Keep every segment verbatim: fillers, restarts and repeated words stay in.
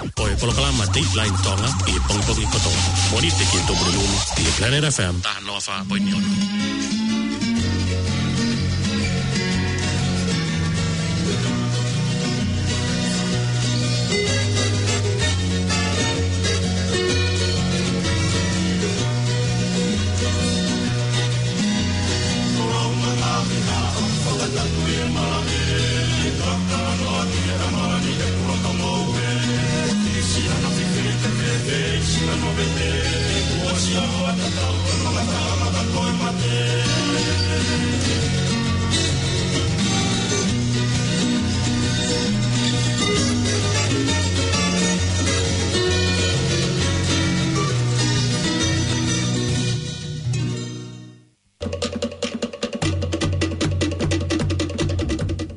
Ko e polokalama Dateline Tonga ʻi he pongipongi kotoa. Mōnite ki he Tuʻapulelulu ʻi he Planet F M taha noa fā poini ono.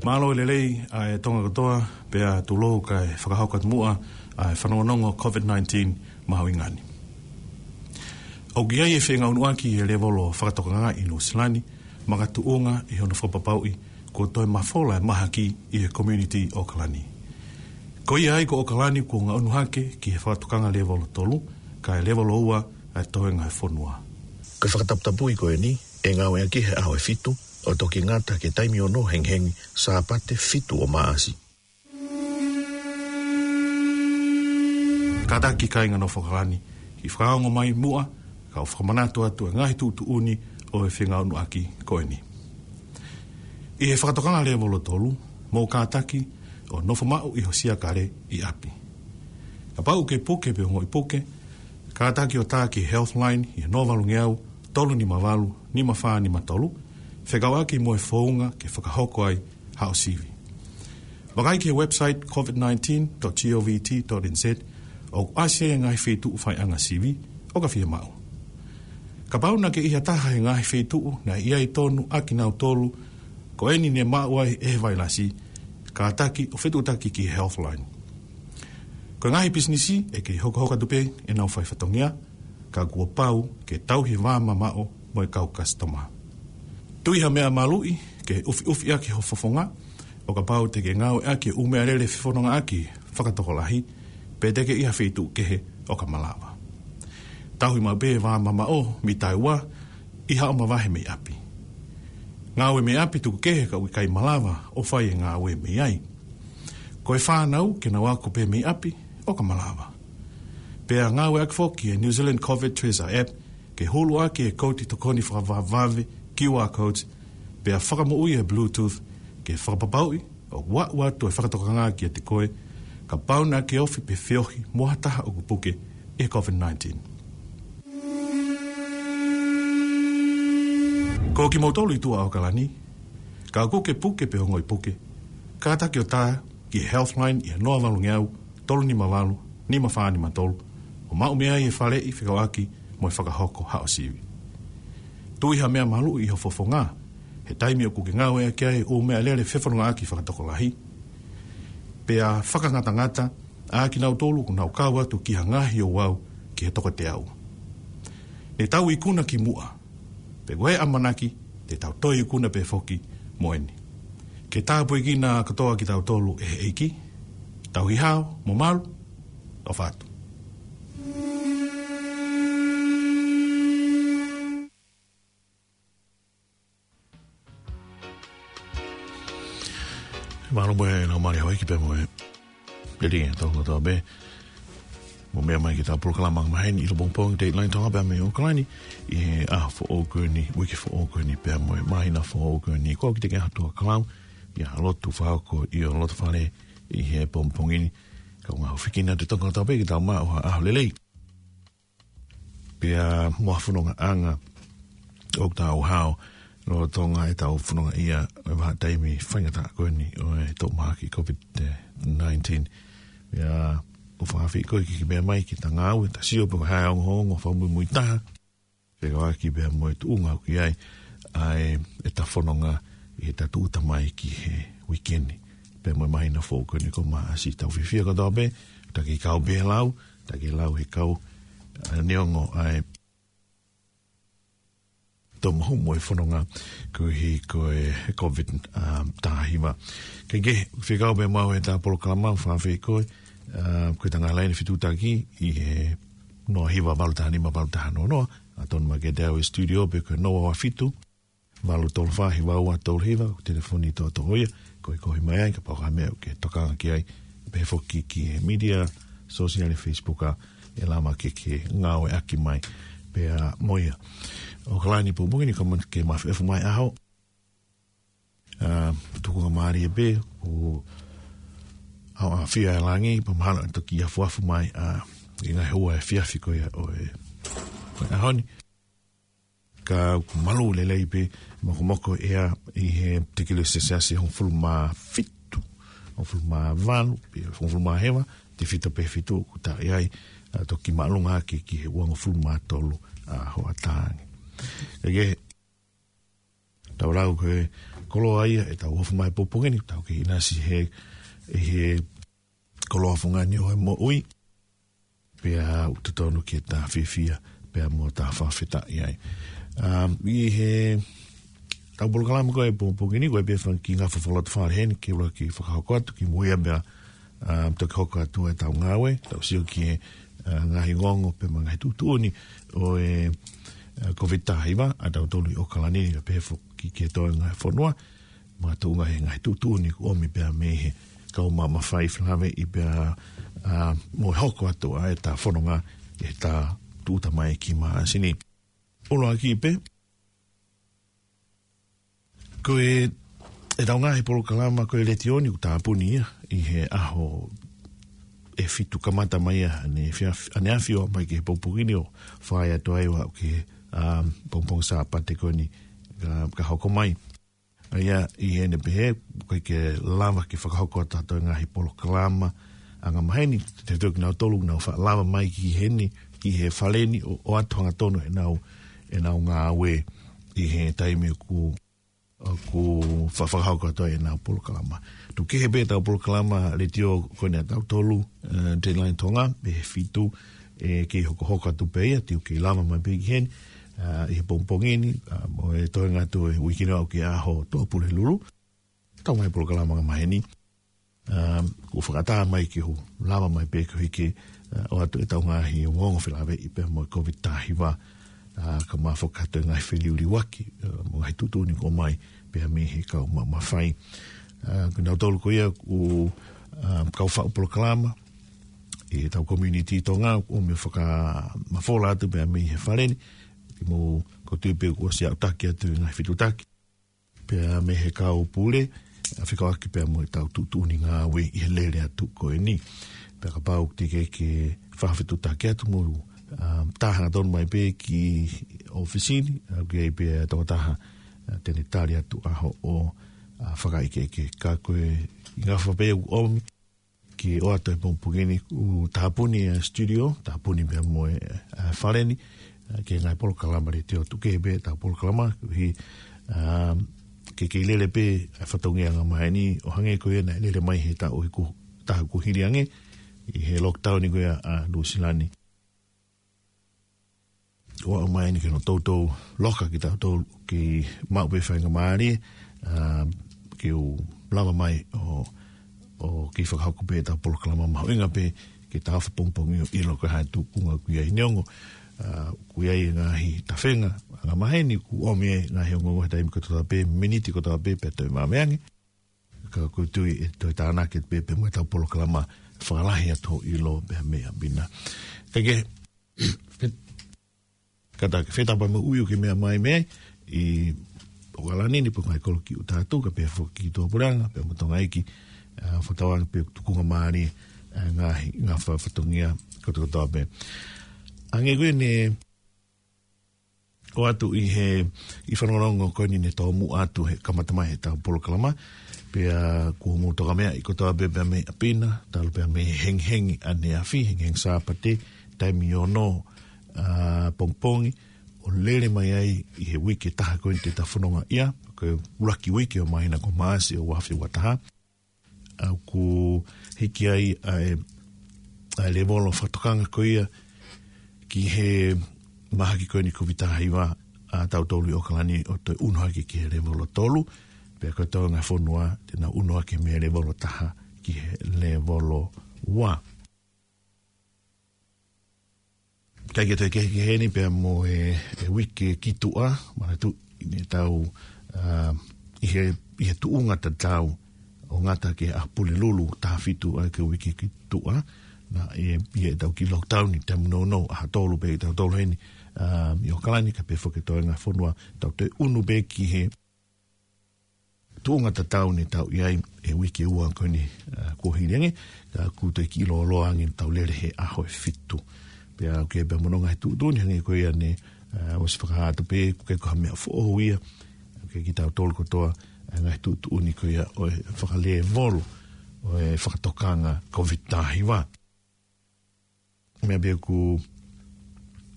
Mālō e lelei ʻa e Tonga kotoa, pea tulou kae fakahoko atu muʻa ʻa e fanongonongo COVID nineteen mahuʻinga ni. ʻOku ʻi ai e feʻunga ʻunuʻaki e lēvolo fakatokanga ʻi Nuʻusila ni, makatuʻunga ʻi hono fakapapauʻi kuo toe mafola e mahaki ʻi he community ʻo ʻAokalani. Ko ia ai ko ʻAokalani kuo ngaʻunu hake ki he fakatokanga lēvolo tolu, kae lēvolo ua ʻa e toenga e fonua. Ko e fakataputapui ko eni, ʻe ngāueʻaki he ʻaho ʻe fitu, ʻo toki ngata ki he taimi ono hengihengi Sāpate fitu ʻo Maʻasi. Kātaki kāinga nofo ʻAokalani, ke fakaongo mai muʻa, kau fakamanatu atu e ngaahi tuʻutuʻuni ʻo e feʻunga ʻunuʻaki ko eni. ʻI he fakatokanga lēvolo tolu, mou kātaki ʻo nofo maʻu ʻi ho siakale ʻi ʻapi. Kapau ʻoku ke puke pe ongoʻi puke, kātaki ʻo tā ki he Healthline ʻi he noa valu ngeau, tolu nima valu, nima fā nima tolu, fekauʻaki mo e founga ke fakahoko ai haʻo sivi. Vakai ki he website covid nineteen dot govt dot nz, ʻoku ʻasi ai e ngaahi feituʻu faiʻanga sivi ʻoka fiemaʻu. Kapau naʻa ke ʻi ha taha he ngaahi feituʻu naʻe ʻi ai tonu ʻakinautolu ko eni ne maʻu ai e vailasi, kātaki ʻo fetuʻutaki ki he Healthline. Ko e ngaahi pisinisi ʻe kei hokohoko atu pē ʻenau fai fatongia, ka kuo pau ke tauhi e vāmamaʻo mo e kau kasitoma. Tui ha meʻa maluʻi ke ʻufiʻufi ʻaki ho fofonga, ʻo kapau te ke ngāueʻaki e ʻū meʻalele fefonongaʻaki fakatokolahi, pe te ke ʻi ha feituʻu kehe ʻoka malava. Tauhi maʻu pē e vāmamaʻo mita ua ʻi haʻo mavahe mei ʻapi. Ngāue mei ʻapi tuku kehe ka ʻoku ʻikai malava ʻo fai e ngāue mei ai. Ko e fānau ke nau ako pē mei ʻapi ʻoka malava. Pea ngāueʻaki foki e New Zealand COVID Tracer App ke huluʻaki e kouti tokoni fakavavevave, Q R codes, pea fakamoʻui e Bluetooth ke fakapapauʻi ʻoku aʻu atu e fakatokanga kiate koe, kapau naʻa ke ofi pe feohi mo ha taha ʻoku puke ʻi he COVID nineteen. Ko kimoutolu ʻi tuʻa ʻAokalani, kapau ʻoku ke puke pe ongoʻi puke, kātaki ʻo tā ki he Healthline ʻi he noa valu ngeau, tolu nima valu, nima fā nima tolu, ʻo maʻu mei ai e faleʻi fekauʻaki mo e fakahoko haʻo sivi. Tui ha meʻa maluʻi ʻi ho fofonga he taimi ʻoku ke ngāueʻaki ai e ʻū meʻalele fefonongaʻaki fakatokolahi. Pea fakangatangata ʻakinautolu ʻoku nau kau atu ki ha ngaahi ouau ki he toko teau. Ne tau ikuna kimuʻa, pea ko e ʻamanaki te tau toe ikuna pē foki mo eni. Ke tāpuekina kotoa kitautolu ʻe he ʻEiki. Tauhi hao mo malu, ʻofa atu. Mālō mo e lau mali Hauiki pea mo e peli e tau kotoa pē. Mou meʻa mai ki heʻetau polokalama maheni ʻi he pongipongi Dateline Tonga pea mei ʻAokalani ʻi he ʻaho foʻou ko eni, uike foʻou ko eni pea mo e māhina foʻou ko eni. Ko au Kiteke Hatuʻakalau, ʻi he lotu fakahoko ʻi ho loto fale ʻi he pongipongi ni. Kaungā hūfekina atu e tau kotoa pē ke tau maʻu ha ʻaho lelei. Pea mo ha fonongaʻanga ʻoku tau hao lolotonga ʻetau fononga ʻi he vahaʻa taimi faingataʻa ko eni ʻo e toʻu mahaki COVID nineteen. Pea ʻoku ou fakaafeʻi koe ke ke meʻa mai ki heʻeta ngāue, ta sio pe ko e hā e ongoongo fakamuimui taha fekauʻaki pea mo e tuʻunga ʻoku ʻi ai ʻa e, ʻeta fononga ʻi heʻeta tūʻuta mai ki he uike ni pea mo e māhina foʻou ko eni ko Maʻasi. Tau fiefia kotoa pē, ta ke kau pē lau, ta ke lau he kau, ʻa, neongo ʻa e tō mahu mo e fononga koeʻuhi ko e COVID, um, taha hiva. Ke ke fekau pē maʻu heʻeta polokalama, fakaafeʻi koe, ʻA, ko e tangata laini fetuʻutaki ʻi he noa hiva valu taha nima valu taha noa noa, ʻa tonu mai ke tau e studio pē ko e noa ua fitu, valu tolu fā hiva ua tolu hiva, ko e telefoni toʻotoʻo ia, ko e kohi mai ai, kapau ko ha meʻa ʻoku ke tokanga ki ai, pehē foki ki he media, sosiale, Facebook ʻa, ʻe lava ke ke ngāueʻaki mai, pea mo ia. ʻOkalani pongipongi ni ka man ke mafi efu mai ʻaho, ʻa, tukunga mālie pē, ʻo ʻaoʻafia e langi, pea mahalo ʻe toki afuafu mai, ʻa, ʻi he ngaahi ua e fiafi ko ia ʻo e, ʻo e ʻaho ni. Ka ʻoku malū lelei pē, mokomoko ʻea ʻi he tikili selesiasi hongofulu mā fitu, hongofulu mā valu, pea hongofulu mā hiva, tefito pē fitu, ʻoku taʻe ai, ʻa, toki māʻolunga ake ki he uangofulu mā tolu, ʻa, hoʻatā ange. Ka ke, tau lau ko e koloa ia, ʻe tau ofu mai pongipongi ni, tau kei ʻinasi he, ʻi he koloa fungani ʻo e moʻui, pea ʻoku totonu ke ta fiefia, pea mo ta fakafetaʻi ai. Um, ʻi he, tau polokalama ko e pongipongi ni, ko e pē fanga kiʻi ngaahi fakalotofale heni, ke ula ki fakahoko atu, kimuʻa pea, um, toki hoko atu e tau ngāue, tau sio ki he, uh, ngaahi ongoongo, pea mo e ngaahi tuʻutuʻuni, ʻo e, uh, Covid taha hiva, ʻa tautolu ʻi ʻOkalani, ka pehē foki ki he toenga e fonua, makatuʻunga he ngaahi tuʻutuʻuni ʻoku ʻomi pea mei he kau maʻu mafai felāveʻi pea, ʻa, mo e hoko atu ʻa e ta fononga ʻi he ta tūʻuta mai ki māsini. ʻUluaki pē, ko e, e tau ngaahi polokalama ko e letiō ni ʻoku tāpuni ia, ʻi he ʻaho ʻe fitu kamata mai ia, ʻaneafi-, ʻaneafi ʻo mai ki he pongipongi ni ʻo fai atu ai ʻo aʻu ki he, ʻa, pongipongi Sāpate ko eni ka, ka hoko mai. ʻA ia ʻi heʻene pehē, ʻoku ʻikai ke lava ke fakahoko ʻa tatou ngaahi polokalama angamaheni, te tau kinautolu, nau faʻa lava mai ki heni, ki he fale ni, ʻo, ʻoatu hangatonu ʻenau, ʻenau ngāue ʻi he taimi ʻoku, ʻoku fa-, fakahoko atu ai ʻenau polokalama. Tuku kehe pē tau polokalama letiō ko eni ʻa tautolu, eh, Dateline Tonga, pē he fitu, ʻe kei hokohoko atu pē ia, te u kei lava mai pē ki heni, ʻa, ʻi he pongipongi ni, ʻa, mo e toenga atu e uike ni ʻo aʻu ki he ʻaho Tuʻapulelulu. Tau ngaahi polokalama angamaheni. ʻA, ʻoku fakaʻatā mai ke u lava mai pē koeʻuhi ke, ʻa, ʻoatu e tau ngaahi ongoongo felāveʻi pea mo e Covid taha hiva, ʻa, kae ʻumaʻā foki atu e ngaahi feliuliuaki, ʻa, mo e ngaahi tuʻutuʻuni ʻoku ʻomai pea mei he kau maʻu mafai. ʻA, ko kinautolu ko ia ʻoku, ʻa, kau faʻu polokalama, ʻi he tau community Tonga, ʻoku ʻomi ʻo fakamafola atu pea mei he fale ni, ʻi mo ko tui pē kuo ʻosi aʻutaki atu ʻi he ngaahi fetuʻutaki. Pea mei he kau pule, ʻa, fekauʻaki pea mo e tau tuʻutuʻuni ngāue ʻi he lele atu ko eni. Pea kapau te ke ke fakafetuʻutaki atu mo, ʻa, tā hangatonu mai pē ki ʻōfisi ni, ʻa, ʻoku ʻi ai pē ʻa e tokotaha, ʻa, te ne tali atu ʻa hoʻo, ʻa, fakaʻekeʻeke. Ka ko e ʻi he ngaahi faʻu pē ʻoku ʻomi, ke ʻoatu he pongipongi ni ʻoku tāpuni e studio, tāpuni pea mo e, ʻa, fale ni, ʻa, ki he ngaahi polokalama letiō tuku kehe pē tau polokalama, koeʻuhi, ʻa, ke kei lele pē ʻa e fatongia angamaheni, ʻo hangē ko ia naʻe lele mai he taʻu ʻe ku-, taha kuo hili ange, ʻi he lockdown ni ko ia ʻa Nuʻusila ni. ʻO aʻu mai eni ke nau toutou loka kitautolu ke maʻu pē faingamālie, ʻa, ke u lava mai ʻo, ʻo kei fakahoko pē ʻetau polokalama mahuʻinga pē ke ta ofa pongipongi ʻo ʻilo ko e hā e tuʻunga ʻoku ʻi ai. Neongo, ʻa, ʻoku ʻi ai e ngaahi tafenga angamaheni ʻoku ʻomi ai e ngaahi ongoongo he taimi kotoa pē, miniti kotoa pē, pea toe maveange. Ka ʻoku ou tui ʻe toe tānaki pē pea mo ʻetau polokalama fakalahi atu hoʻo ʻilo pea mei ʻapi na. Ka ke, fe-, ka ta ke fetapa mo ui ʻoku ke meʻa mai mei ai, ʻi ʻOkalani ni pe ko e ngaahi kolo ki ʻuta atu, kae pehē foki ki Tuʻapuleʻanga, pea mo Tonga ʻEiki, ʻa, fakatauange pē tukunga mālie, ʻa, ngaahi, ngaahi fa-, fatongia kotokotoa pē. Hangē ko eni, ʻoatu ʻi he, ʻi he fanongonongo ko eni ne tōmuʻa atu he kamata mai ʻetau polokalama, pea kuo mou tokameaʻi kotoa pē pea mei ʻapi na, talu pea mei he hengihengi ʻaneafi, hengihengi Sāpate, taimi ono, ʻa, pongipongi, ʻo lele mai ai ʻi he uike ʻe taha ko eni te ta fononga ia, ko e ʻuluaki uike ʻo māhina ko Maʻasi ʻo ua afe ua taha. ʻA, ʻoku hiki ai ʻa e, ʻa e lēvolo fakatokanga ko ia ki he mahaki ko eni Covid taha hiva ʻa tautolu ʻi ʻOkalani ʻo toe ʻunu hake ki he lēvolo tolu, pea ko e toenga e fonua te nau ʻunu hake mei he lēvolo taha ki he lēvolo ua. Kae kehe, kehe, kehe ni pea mo e, e uike ki tuʻa, manatu ʻi heʻetau, ā, ʻi he, ʻi he tuʻunga tatau ʻo ngata ki he ʻaho Pulelulu taha fitu ʻa e uike ki tuʻa, naʻe ʻi heʻetau kiʻi lockdown ʻi he taimi nounou, ʻaho tolu pē ʻi heʻetau tolu heni, ā, ʻi ʻAokalani, kae pehē foki ki he toenga fonua, tau toe ʻunu pē ki he tuʻunga tatau ne tau ʻi ai he uike ua ko eni, ā, kuo hili ange, ka kuo toe kiʻi lōloa ange ʻetau lele he ʻaho ʻe fitu. Pea ʻoku ʻi ai pē mo hono ngaahi tuʻutuʻuni hangē ko ia ne, ā, ʻosi fakahā atu pē, ʻoku ʻikai ko ha meʻa foʻou ia, ʻoku ʻikai ke tau tolu kotoa, ā, ngaahi tuʻutuʻuni ko ia ʻo e fakalēvolo ʻo e fakatokanga Covid taha hiva. Meʻa pē ʻoku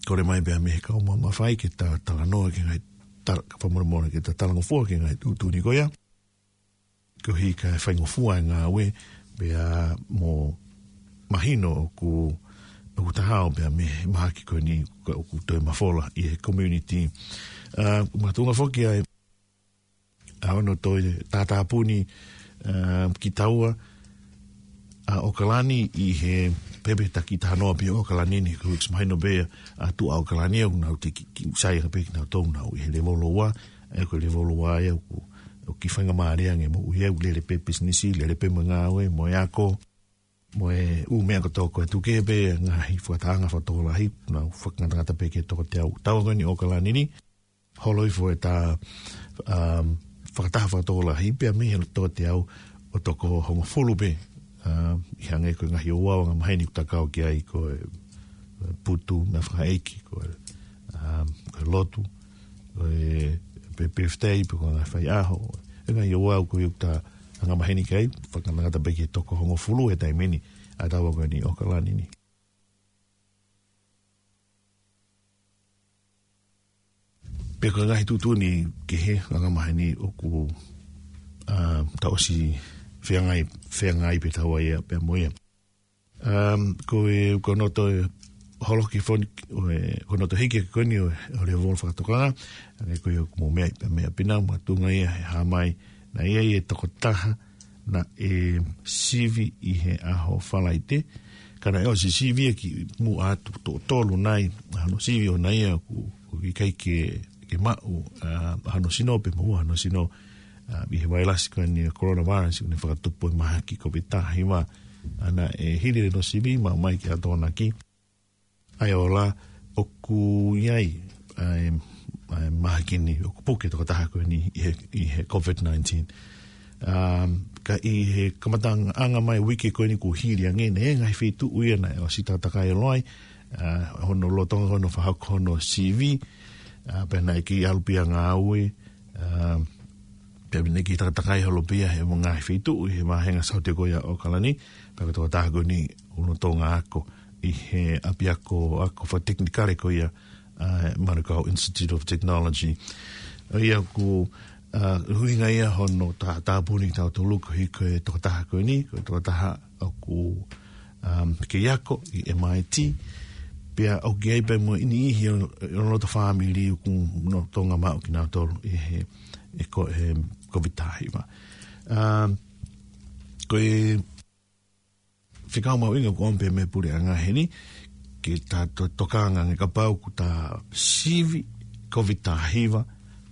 kole mai pē mei he kau mamafa ke ta talanoa ki he ngaahi tala-, ka fakamolemole ke ta talangofua ki he ngaahi tuʻutuʻuni ko ia. Koeʻuhi kae faingofua e ngāue, pea mo mahino ʻoku, ʻoku ta hao pē mei he mahaki ko eni ka ʻoku toe mafola ʻi he community. Ā, makatuʻunga foki ʻa e ʻa hono toe tātāpuni, ā, kitaua ʻa ʻAokalani ʻi he pehē pē taki taha noa pē ʻAokalani ni, ko e mahino pē ʻa tuʻa ʻAokalani ʻoku nau te ki, ki sai ʻa pē kinautolu ʻoku nau ʻi he lēvolo ua, ē ko e lēvolo ua ē ʻoku, ʻoku kiʻi faingamālie ange mo ia ʻoku lele pē pisinisi, lele pē mo e ngāue, mo e ako, mo e ʻū meʻa kotoa ko ē tuku kehe pē ngaahi fakatahaʻanga fakatokolahi, nau fakangatangata pē ki he toko teau. Taua ko eni ʻAokalani ni, holo hifo ʻeta, um, fakataha fakatokolahi pea mei he toko teau ʻo toko hongofulu pē, um, ʻi he hangē ko e ngaahi ouau angamaheni ʻoku ta kau ki ai ko e, e putu, meʻa fakaʻeiki, ko e, um, ko e lotu, ko e pe-, birthday, pe ko e ngaahi faiʻaho, e ngaahi ouau ko ē ʻoku ta angamaheni ki ai, fakangatangata pē ki he toko hongofulu he taimi ni, ʻa taua ko eni ʻAokalani ni. Pea ko e ngaahi tuʻutuʻuni kehe angamaheni ʻoku, ā, ta ʻosi feangai, feangai pē taua ia pea mo ia. Um, ko e, ko hono toe holoki foki, ʻo e, ko hono toe hiki ko eni ʻo, ʻo e lēvolo fakatokanga, ʻa ia ko ia ʻoku mou meʻa, meʻa pē nau, makatuʻunga ia he hā mai, naʻe ʻi ai e tokotaha naʻe sivi ʻi he ʻaho Falaite, ka naʻe ʻosi sivi ia kimuʻa atu, toko tolu nai ʻa hono sivi ʻoʻona ia ʻoku, ʻoku ʻikai ke, ke maʻu, ā, ʻa hono sino pe moʻua hono sino, ā, ʻi he vailasi ko eni ʻa e coronavirus ʻoku ne fakatupu ʻi he mahaki Covid taha hiva, ā, naʻe hili hono sivi, maʻu mai ki he ʻaho Tokonaki ʻa e ola ʻoku ʻi ai ʻa e, ʻa e mahaki ni ʻoku puke tokotaha ko eni ʻi he, ʻi he Covid nineteen. Um, ka ʻi he kamataʻanga mai uike ko eni kuo hili ange naʻe ngaahi feituʻu ia naʻe ʻosi takatakai ʻo loi, ā, hono lolotonga hono fakahoko hono sivi, ā, pea naʻe kiʻi ʻalu pē ia ngāue, ā, pea naʻe kiʻi takatakai holo pē ia he mo e ngaahi feituʻu ʻi he vāhenga Saute ko ia ʻAokalani, pea ko e tokotaha ko eni ʻoku lolotonga ako ʻi he ʻapiako ako fakatekinikale ko ia, ā, Manukau Institute of Technology. ʻA ia ʻoku, ā, ʻuhinga ia hono tā-, tāpuni kitautolu koeʻuhi ko e tokotaha ko eni, ko e tokotaha ʻoku, um, kei ako ʻi M I T, pea ʻoku ʻi ai pē mo e niʻihi ʻo, ʻo e loto fāmili ʻoku lolotonga maʻu kinautolu ʻi he, ʻi he ko-, he Covid taha hiva. Um, ko e fekau mahuʻinga ʻoku ʻomai pē mei he puleʻanga heni, ke ta to-, tokanga ange kapau ʻoku ta sivi Covid taha hiva,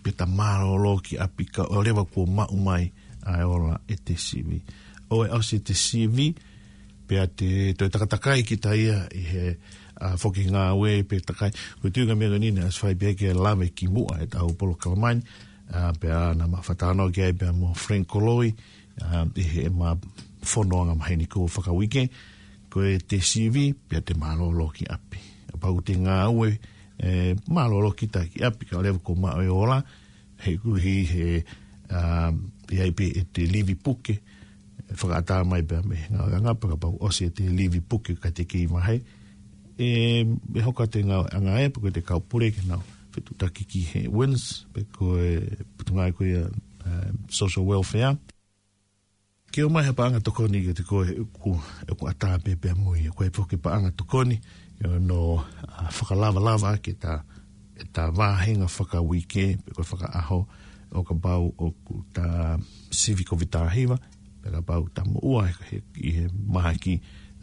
pea ta mālōlō ki ʻapi kae ʻoua leva kuo maʻu mai ʻa e ola ʻete sivi. ʻOua ʻe ʻosi ʻete sivi, pea te toe takatakai kita ia ʻi he, ā, foki ngāue pe takai. Ko e tuʻunga meʻa ko eni naʻe ʻosi fai pē ke lave kimuʻa ʻetau polokalama ni, ā, pea naʻa ma fakatalanoa ki ai pea mo Frank Koloi, ā, ʻi heʻema fono angamaheni ko ē fakauike, ko ʻete sivi, pea te mālōlō ki ʻapi. Kapau ʻoku te ngāue, ē, mālōlō kita ki ʻapi, kae ʻoua leva kuo maʻu e ola, he koeʻuhi he, ā, ʻi ai pē ʻete livi puke, fakaʻatā mai pē mei he ngāueʻanga, pea kapau ʻosi ʻete livi puke ka te kei vahe, ē, ʻe hoko atu e ngāueʻanga ē, pe ko ʻete kau pule ke nau fetuʻutaki ki he WINZ, pe ko e potungāue ko ia, ē, social welfare. Ke ʻomai ha paʻanga tokoni kiate koe ʻoku, ʻoku ʻatā pē pea mo ia. Ko e foki paʻanga tokoni, ʻi hono, ā, fakalavalava ʻaki ʻeta, ʻeta vāhenga fakauike, pe ko e fakaʻaho, ʻo kapau ʻoku ta sivi Covid taha hiva, pe kapau ta moʻua he, he, ʻi he mahaki,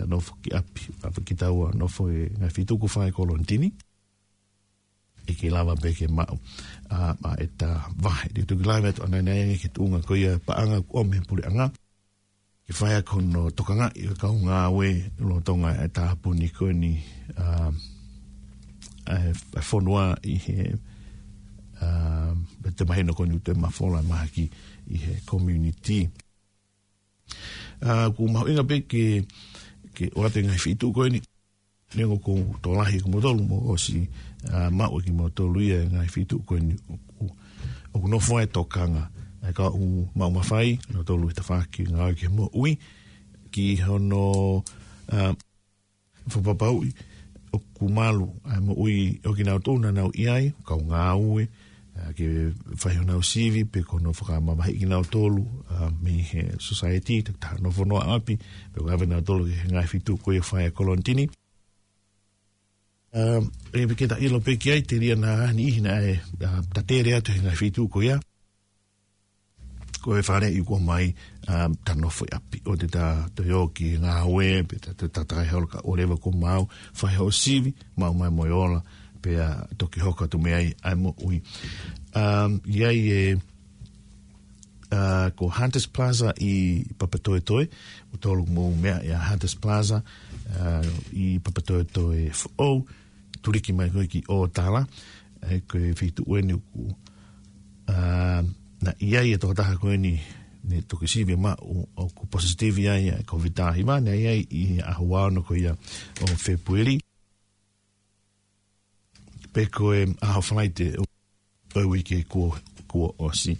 nofo ki ʻapi, ʻa, pea kitaua nofo he ngaahi feituʻu ko ē fai e kolonitini. ʻIkai lava pē ke maʻu, ʻa, ʻa ʻeta vahe. Te u toki lave atu ʻanai ange ki he tuʻunga ko ia e paʻanga ʻoku ʻomi ʻe he puleʻanga ke fai ʻaki hono tokangaʻi ʻo e kau ngāue lolotonga e tāpuni ko eni, ʻa, ʻa e, e fonua ʻi he, ʻa, pea te mahino ko eni ʻoku toe mafola mahaki ʻi he community. ʻA, ʻoku mahuʻinga pē ke, ke ʻoatu e ngaahi feituʻu ko eni. Neongo ʻoku tokolahi kimoutolu mo ʻosi, ʻa, maʻu ʻe kimoutolu ia e ngaahi feituʻu ko eni ʻoku, ʻoku nofo ai e tokanga ʻa e kau maʻu mafai, nautolu he tafaʻaki ngāue ki he moʻui, ki hono, ʻa, fakapapauʻi ʻoku malu ʻa e moʻui ʻo kinautolu naʻa nau ʻi ai, kau ngāue, ʻa, ke fai honau sivi, pe ko hono fakamamahiʻi kinautolu, ʻa, mei he society, takitaha nofo noa ʻapi, pe ko e ʻave nautolu ki he ngaahi feituʻu ko ia fai e kolonitini. ʻA, ʻe pē ke ta ʻilo pē ki ai, telia naʻa niʻihi naʻe, ʻa, tatele atu he ngaahi feituʻu ko ia. Ko e faleʻi kuo ʻomai, ʻa, ta nofo ʻi ʻapi. ʻOua te ta toe ō ki he ngāue, pe ta, ta, ta, ta holo ka ʻoleva ko mau, fai hoʻo sivi, maʻu mai mo e ola, pea toki hoko atu mei ai ʻa e moʻui. ʻA, ʻi ai e, ʻa, ko Hunters Plaza ʻi Papatoetoe, ʻoku tolu mo e meʻa ʻia Hunters Plaza, ʻa, ʻi Papatoetoe foʻou, tuliki mai ko ē ki ʻŌtala, ʻa ia ko e feituʻu eni ʻoku, ʻa, naʻe ʻi ai e tokotaha ko eni naʻe toki sivi maʻu ʻoku positive ai ʻa e Covid taha hiva, naʻe ʻi ai ʻi he ʻaho ua ono ko ia ʻo Fēpueli. Pe ko e ʻaho Falaite ʻo, ʻo e uike kuo, kuo ʻosi.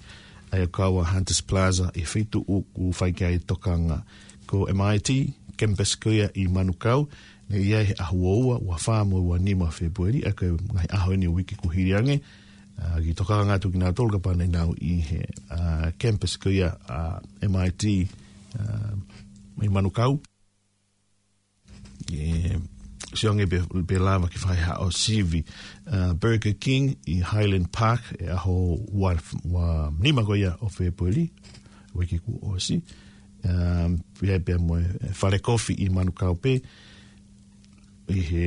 ʻA ia ʻoku kau ʻa Hunters Plaza ʻi he feituʻu ʻoku fai ki ai e tokanga. Ko M I T, campus ko ia ʻi Manukau, naʻe ʻi ai he ʻaho ua ua, ua fā mo e ua nima Fēpueli, ʻa ia ko e ngaahi ʻaho eni ʻo e uike kuo hili ange, ʻa, kiʻi tokanga atu kinautolu kapau naʻa nau ʻi he, ʻa, campus ko ia, ʻa, M I T, ʻa, ʻi Manukau. ʻE, sio ange pe, pe lava ke fai haʻo sivi, ʻa, Burger King ʻi Highland Park, ʻi he ʻaho ua, ua nima ko ia ʻo Fēpueli, uike kuo ʻosi. ʻA, pea, pea mo e Fale Kofi ʻi Manukau pē, ʻi he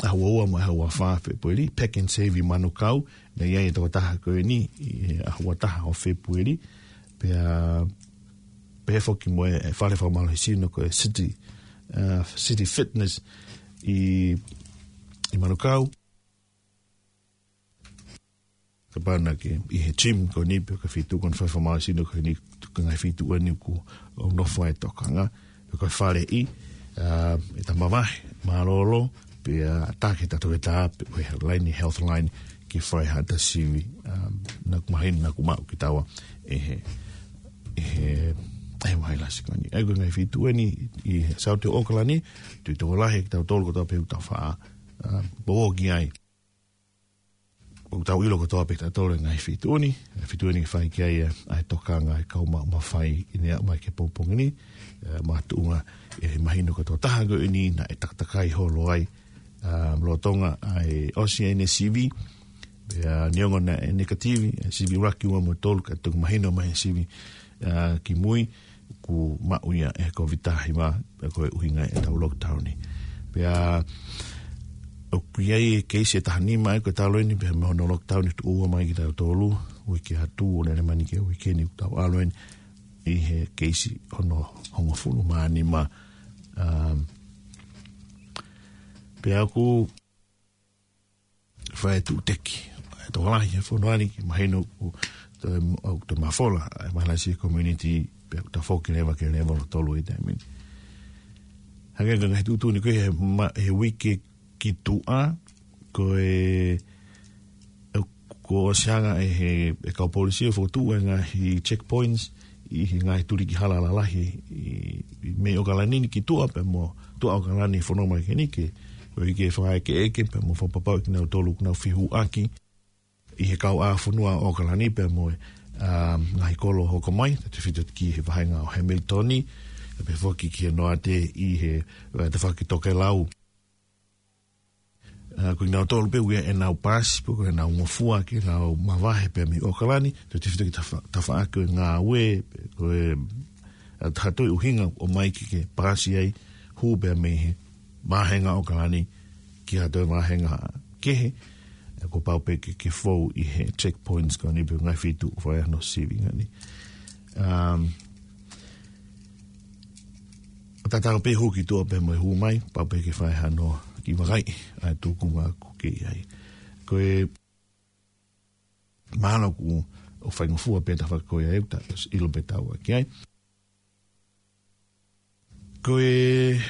ʻaho ua ua mo e ʻaho ua fā Fēpueli, Pack and Save ʻi Manukau, naʻe ʻi ai e tokotaha ko eni, ʻi he ʻaho ua taha ʻo Fēpueli, pea, pea foki mo e fale fakamālohisino ko e City, ʻa, City Fitness ʻi, ʻi Manukau. Kapau naʻa ke ʻi he gym ko eni pe ko e feituʻu ko eni fai fakamālohisino ko eni, ko e ngaahi feituʻu eni ʻoku, ʻoku nofo ai e tokanga, pe ko e faleʻi, ʻa, ʻeta mavahe mālōlō, pea, ʻa, taki ʻeta toketā, pe ko e laine, Healthline, ke fai haʻata sivi, ʻa, naʻa ku mahino naʻa ku maʻu kitaua ʻi he, ʻi he, ʻi he vailasi ko eni. ʻA ia ko e ngaahi feituʻu eni ʻi he Saute ʻo ʻAokalani, tui tokolahi kitautolu kotoa pē ʻoku tau faʻa, ʻa, poupou ki ai. ʻOku tau ʻilo kotoa pē kitautolu e ngaahi feituʻu ni, e feituʻu ni ke fai ki ai ʻa, ʻa e tokanga ʻa e kau maʻu mafai ʻi he ʻaho mai ki he pongipongi ni, ʻa, makatuʻunga ʻe mahino ko e tokotaha ko eni naʻe takatakai holo ai, ʻa, lolotonga ʻa e ʻosi ʻene sivi, pea neongo naʻe negative, ʻa e sivi ʻuluaki, ua mo e tolu, ka toki mahino mai he sivi, ʻa, kimui, ʻoku maʻu ia ʻe he Covid taha hiva, pea ko e ʻuhinga ia ʻetau lockdown ni. Pea, ʻoku ʻi ai e keisi ʻe taha nima ʻa ia ko e talu eni, pea mei hono lockdown ʻi he tuʻu ua mai kitautolu, uike atu, ʻo lele mai ni ki he uike ni ʻoku tau ʻalu eni ʻi he keisi hono hongofulu mā nima, um, pea ʻoku fai e tuʻuteki. ʻE tokolahi he fonua ni, ke mahino ʻoku toe, ʻoku toe mafola ʻa e vailasi he community, pea ʻoku tafoki leva ki he level ʻo tolu ʻi he taimi ni. Hangē ko e ngaahi tuʻutuʻuni ko ē he ma-, he uike ki tuʻa, ko e, ʻe, kuo ʻosi hanga ʻe he, ʻe he kau polisi ʻo fokotuʻu e ngaahi checkpoints ʻi he ngaahi tuliki hala lalahi ʻi, ʻi mei ʻAokalani ni ki tuʻa pea mo tuʻa ʻAokalani, fononga mai ki heni ke, ʻoku ʻikai ke fakaʻekeʻeke pea mo fakapapauʻi kinautolu ʻoku nau fehuʻaki ʻi he kauʻāfonua ʻo ʻAokalani pea mo e, um, ngaahi kolo hoko mai, tautefito ki he vahenga ʻo Hamilton, pea foki ki he Noate ʻi he, ʻa, tafaʻaki tokelau. ʻA, ko kinautolu pē ʻoku ʻi ai ʻenau paasi, pe ko ʻenau ngofua ke nau mavahe pē mei ʻAokalani, tautefito ki he tafa-, tafaʻaki ʻo e ngāue, pe ko e, ʻa, ha toe ʻuhinga ʻoku ʻomai ke, ke paasi ai pū pē mei he vāhenga ʻOkalani ki ha toe vāhenga kehe, ʻe kuo pau pē ke, ke fou ʻi he checkpoints ko eni pe ngaahi feituʻu fai hano sivi ngani. Um, tatau pē hū ki tuʻa pē mo e hū mai, pau pē ke fai hano kiʻi vakai ʻa e tūkunga ʻoku kei ʻi ai. Ko e mahalo ʻoku, ʻoku faingofua pē ta fakakoia e uta, ʻilo pē taua ki ai. Ko e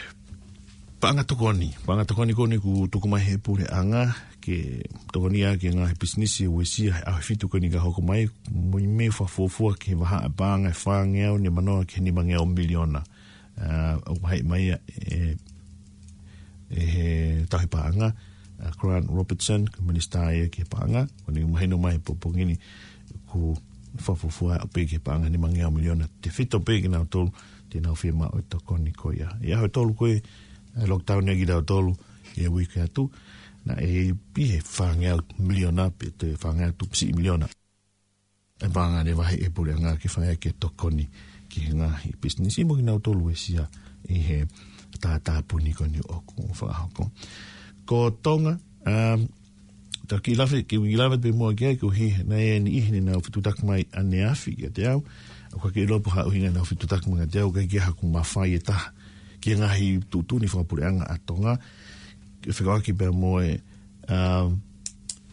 paʻanga tokoni, paʻanga tokoni ko eni ʻoku tuku mai he puleʻanga, ke tokoni ʻaki e ngaahi pisinisi ʻoku uesia he ʻaho fitu ko eni ka hoko mai, mo e meʻa fakafuofua ki he vahaʻa paʻanga ʻe fāngeau nimanoa ki he nimangeau miliona. ʻA, ʻoku vaheʻi mai ia ʻe, ʻe he tauhi paʻanga, ʻa Grant Robertson, ko e minisitā ia ki he paʻanga, ko eni mahino mai he pongipongi ni ʻoku fakafuofua ʻaupito ki he paʻanga nimangeau miliona, tefito pē kinautolu te nau fiemaʻu e tokoni ko ia. ʻI he ʻaho ʻe tolu ko ē, ʻa e lockdown ʻa kitautolu ʻi he uike atu, naʻe ʻi he fāngeau miliona, pe toe fāngeau tupu siʻi miliona. ʻE paʻanga ne vaheʻi ʻe he puleʻanga ke fai ʻaki e tokoni ki he ngaahi pisinisi mo kinautolu ʻoku uesia ʻi he tātāpuni ko eni ʻoku fakahoko. Ko Tonga, um, ta kiʻi lave, kiʻi lave pē muʻa ki ai, koeʻuhi naʻe ʻi ai e niʻihi ne nau fetuʻutaki mai ʻaneafi kiate au, ʻoku ʻikai ke ʻilo pe ko e hā e ʻuhinga ʻenau fetuʻutaki mai kiate au, ʻikai ke ʻi ai haku mafai ʻe taha ki he ngaahi tuʻutuʻuni fakapuleʻanga ʻa Tonga, ke fekauʻaki pea mo e, um,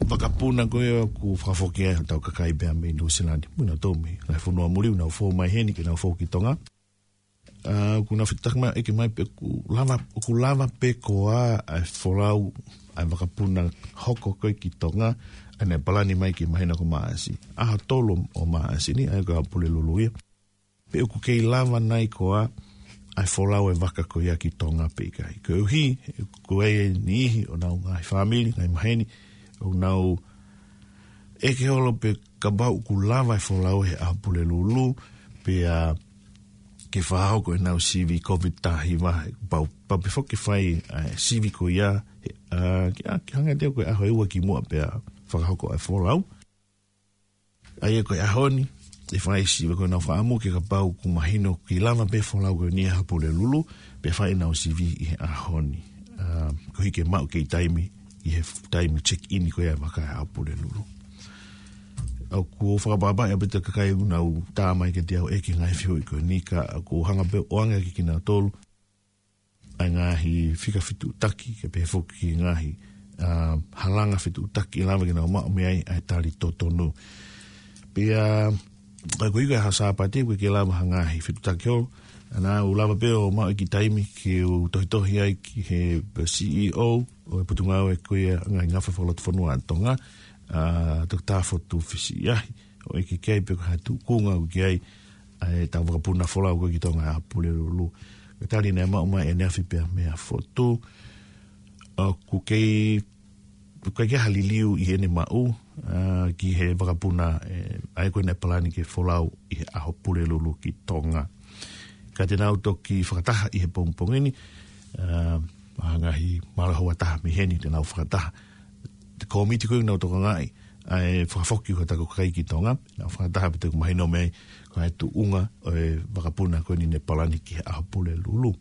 vakapuna ko ē ʻoku fakafoki ai hotau kakai pea mei Nuʻusila ni, mo kinautolu mei he ngaahi fonua muli ʻoku nau fou mai heni ke nau fou ki Tonga. ʻA, ʻoku nau fetuʻutaki mai, ʻeke mai pe ʻoku lava, ʻoku lava pē koā ʻa e folau ʻa e vakapuna hoko ko ē ki Tonga, ʻa ia naʻe palani mai ki he māhina ko Maʻasi. ʻAho tolu ʻo Maʻasi ni, ʻa ia ko e ʻaho Pulelulu ia. Pe ʻoku kei lava nai koā ʻa e folau e vaka ko ia ki Tonga pe ʻikai. Koeʻuhi, ko e niʻihi ʻo honau ngaahi fāmili, ngaahi maheni, ʻoku nau ʻeke holo pe kapau ʻoku lava e folau he ʻaho Pulelulu, pea ke fakahoko ʻenau sivi Covid taha hiva, pau, pau pē foki ke fai, ʻa e sivi ko ia, he, ʻa, ke, ʻa, ke hanga ʻe he ʻaho ʻe ua kimuʻa pea fakahoko ʻa e folau. ʻA ia ko e ʻaho ni, ʻe fai sivi ko ʻenau fakaʻamu ke kapau ʻoku mahino ʻoku kei lava pē folau ko eni he ʻaho Pulelulu, pea fai ʻenau sivi ʻi he ʻaho ni. ʻA, koeʻuhi ke maʻu kei taimi, ʻi he taimi check in ko ia e vaka he ʻaho Pulelulu. ʻOku ou fakaʻapaʻapaʻi ʻaupito ki he kakai ʻoku nau tā mai kiate au ʻeke ngaahi fehuʻi ko eni ka ʻoku ou hanga pē ʻo ʻoange ʻaki kinautolu ʻa e ngaahi fika fetuʻutaki, kae pehē foki ki he ngaahi, ʻa, halanga fetuʻutaki ʻe lava ke nau maʻu mei ai ʻa e tali totonu. Pea, ʻa, ko ia ko e ʻaho Sāpate, ʻoku ʻikai ke lava ha ngaahi fetuʻutaki holo, ʻa ia ʻoku lava pē ʻo maʻu e kiʻi taimi ke u tohitohi ai ki he C E O ʻo e Potungāue ko ia ʻa e Ngaahi Ngafa Fakalotofonua ʻa Tonga, ʻa, Toketā Fotu Fisiʻiahi, ʻo ʻeke ki ai pe ko e hā e tūkunga ʻoku ʻi ai ʻa ʻetau vakapuna folau ko ē ki Tonga he ʻaho Pulelulu. Ko e tali naʻe maʻu mai ʻaneafi pea meia Fotu, ʻoku kei, ʻoku ʻikai ke ʻi ai ha liliu ʻi heʻene maʻu, ʻa, ki he vakapuna, ʻe, ʻa ia ko ē naʻe palani ke folau ʻi he ʻaho Pulelulu ki Tonga. Ka te nau toki fakataha ʻi he pongipongi ni, ʻa, ʻa e ngaahi mālō houa taha mei heni te nau fakataha. Te kōmiti ko ē ʻoku nau tokangaʻi ʻa e fakafoki ko ē ʻetau kakai ki Tonga, nau fakataha pea te u mahino mei ai ko e tuʻunga ʻo e vakapuna ko eni naʻe palani ki he ʻaho Pulelulu.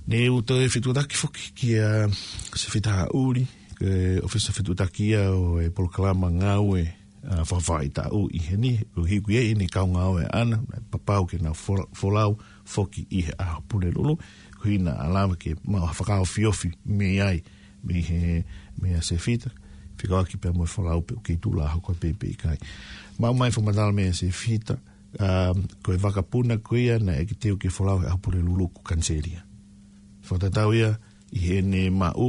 Ne u toe fetuʻutaki foki kia Sefita Haʻuli, ko e ʻōfisa fetuʻutaki ia ʻo e polokalama ngāue, ʻa, fakafaʻahitaʻu ʻi heni, ʻoku ʻi ai ʻene kau ngāue ʻaʻana, naʻe papau ke nau fola-, folau foki ʻi he ʻaho Pulelulu, koeʻuhi naʻa lava ke maʻu ha fakaofiofi mei ai, mei he, meia Sefita, fekauʻaki pea mo e folau pe ʻoku kei tuʻu lā hoko pē pe ʻikai. Maʻu mai fakamatala meia Sefita, ʻa, ko e vakapuna ko ia naʻe ʻikai ke teu ke folau he ʻaho Pulelulu kuo kaniseli ia. Fakatatau ia ʻi heʻene maʻu,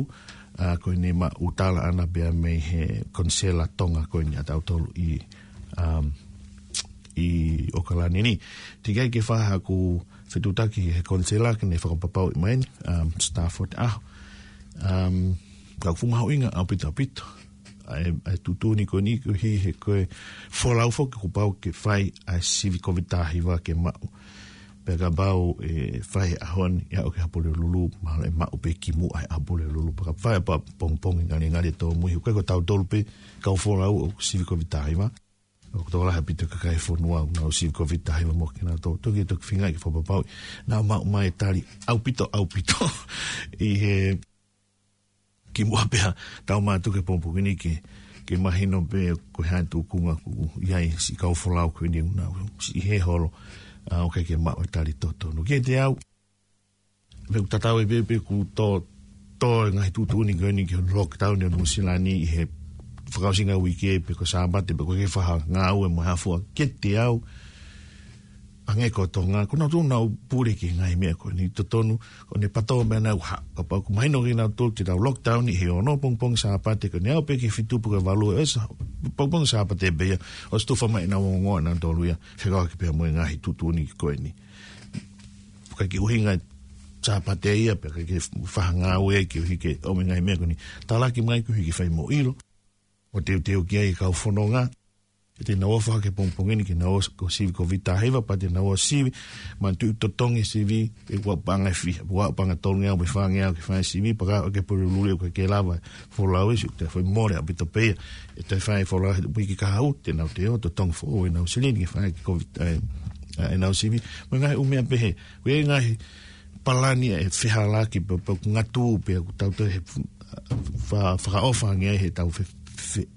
ʻa, ko ʻene maʻu tala ʻaʻana pea mei he konisela Tonga ko eni ʻatautolu ʻi, um, ʻi ʻOkalani ni. Teʻeki ai ke fai haku fetuʻutaki he konisela ke ne fakapapauʻi mai eni, um, Stafford ʻaho. Um, ka ʻoku fuʻu mahuʻinga ʻaupito ʻaupito ʻa e, ʻa e tuʻutuʻuni ko eni koeʻuhi he ko e folau foki kuo pau ke fai ʻa e sivi Covid taha hiva ke maʻu. Pea kapau ʻe fai he ʻaho ni, ʻe aʻu ki he ʻaho Pulelulu, mahalo ʻe maʻu pē kimuʻa he ʻaho Pulelulu. Pea kapau ʻe fai ʻa e pongipongi ngalingali ʻe tōmui, ʻoku ʻikai ko tautolu pē kau folau ʻoku sivi Covid taha hiva. ʻOku tokolahi ʻaupito e kakai e fonua ʻoku nau sivi Covid taha hiva mo kinautolu. Toki, toki feinga ke fakapapauʻi naʻa maʻu mai e tali ʻaupito, ʻaupito. ʻI he kimuʻa pea tau mātuku he pongipongi ni ke, ke mahino pē ko e hā e tūkunga ʻoku ʻi ai siʻi kau folau ko eni ʻoku nau siʻi hē holo, ʻa, ʻoku ʻikai ke maʻu e tali totonu. Kiate au, pea ʻoku tatau ai pē pe ʻoku tō, tō e ngaahi tuʻutuʻuni ko eni ki he lockdown ʻi Nuʻu Sila ni ʻi he fakaʻosinga uike pe ko e Sāpate pe ko e fakangāue mo e hā fua. Kiate au, hangē ko Tonga, ko nautolu ʻoku nau pule ki he ngaahi meʻa ko eni, totonu, ʻoku ne patō meʻa nau ha, kapau ʻoku mahino kiate kinautolu te tau lockdown ʻi he ono pongipongi Sāpate, ko ʻene aʻu pē ki he fitu pe ko e valu, ʻe ʻosi pongipongi Sāpate pē ia, ʻosi tufa mai ʻenau ongoongo ʻanautolu ia, fekauʻaki pea mo e ngaahi tuʻutuʻuni ko eni. ʻIkai ke ʻuhinga e Sāpate ia, pe ʻikai ke fakangāue ai ke ʻuhi ke ʻomai e ngaahi meʻa ko eni. Talaki mai koeʻuhi ke fai mo ʻilo, ʻo teuteu ki ai e kau fononga, ʻe te nau ō fakapō he pongipongi ni ke nau ō ʻo sivi Covid taha hiva, pea te nau ō ʻo sivi, manatuʻi totongi e sivi, ʻe ua paʻanga ʻe fiha, ua paʻanga ʻe tolungeau mo e fāngeau ke fai e sivi, pea ka ʻoku ʻikai ke pule luli ʻoku ʻikai ke lava e folau ʻi siʻi, te fai mole ʻaupito pē ia, ʻe te fai e folau he uike kahaʻu, te nau toe ō, totongi foʻou ʻenau silini ke fai e Covid, ʻe, ʻe, ʻenau sivi, mo e ngaahi ʻū meʻa pehē, ko e ngaahi palani ʻe fehālaaki pe, pe ʻoku ngatū pe ʻoku tau toe he, fa-, fakaʻofa ange ai he tau fe-, fe-,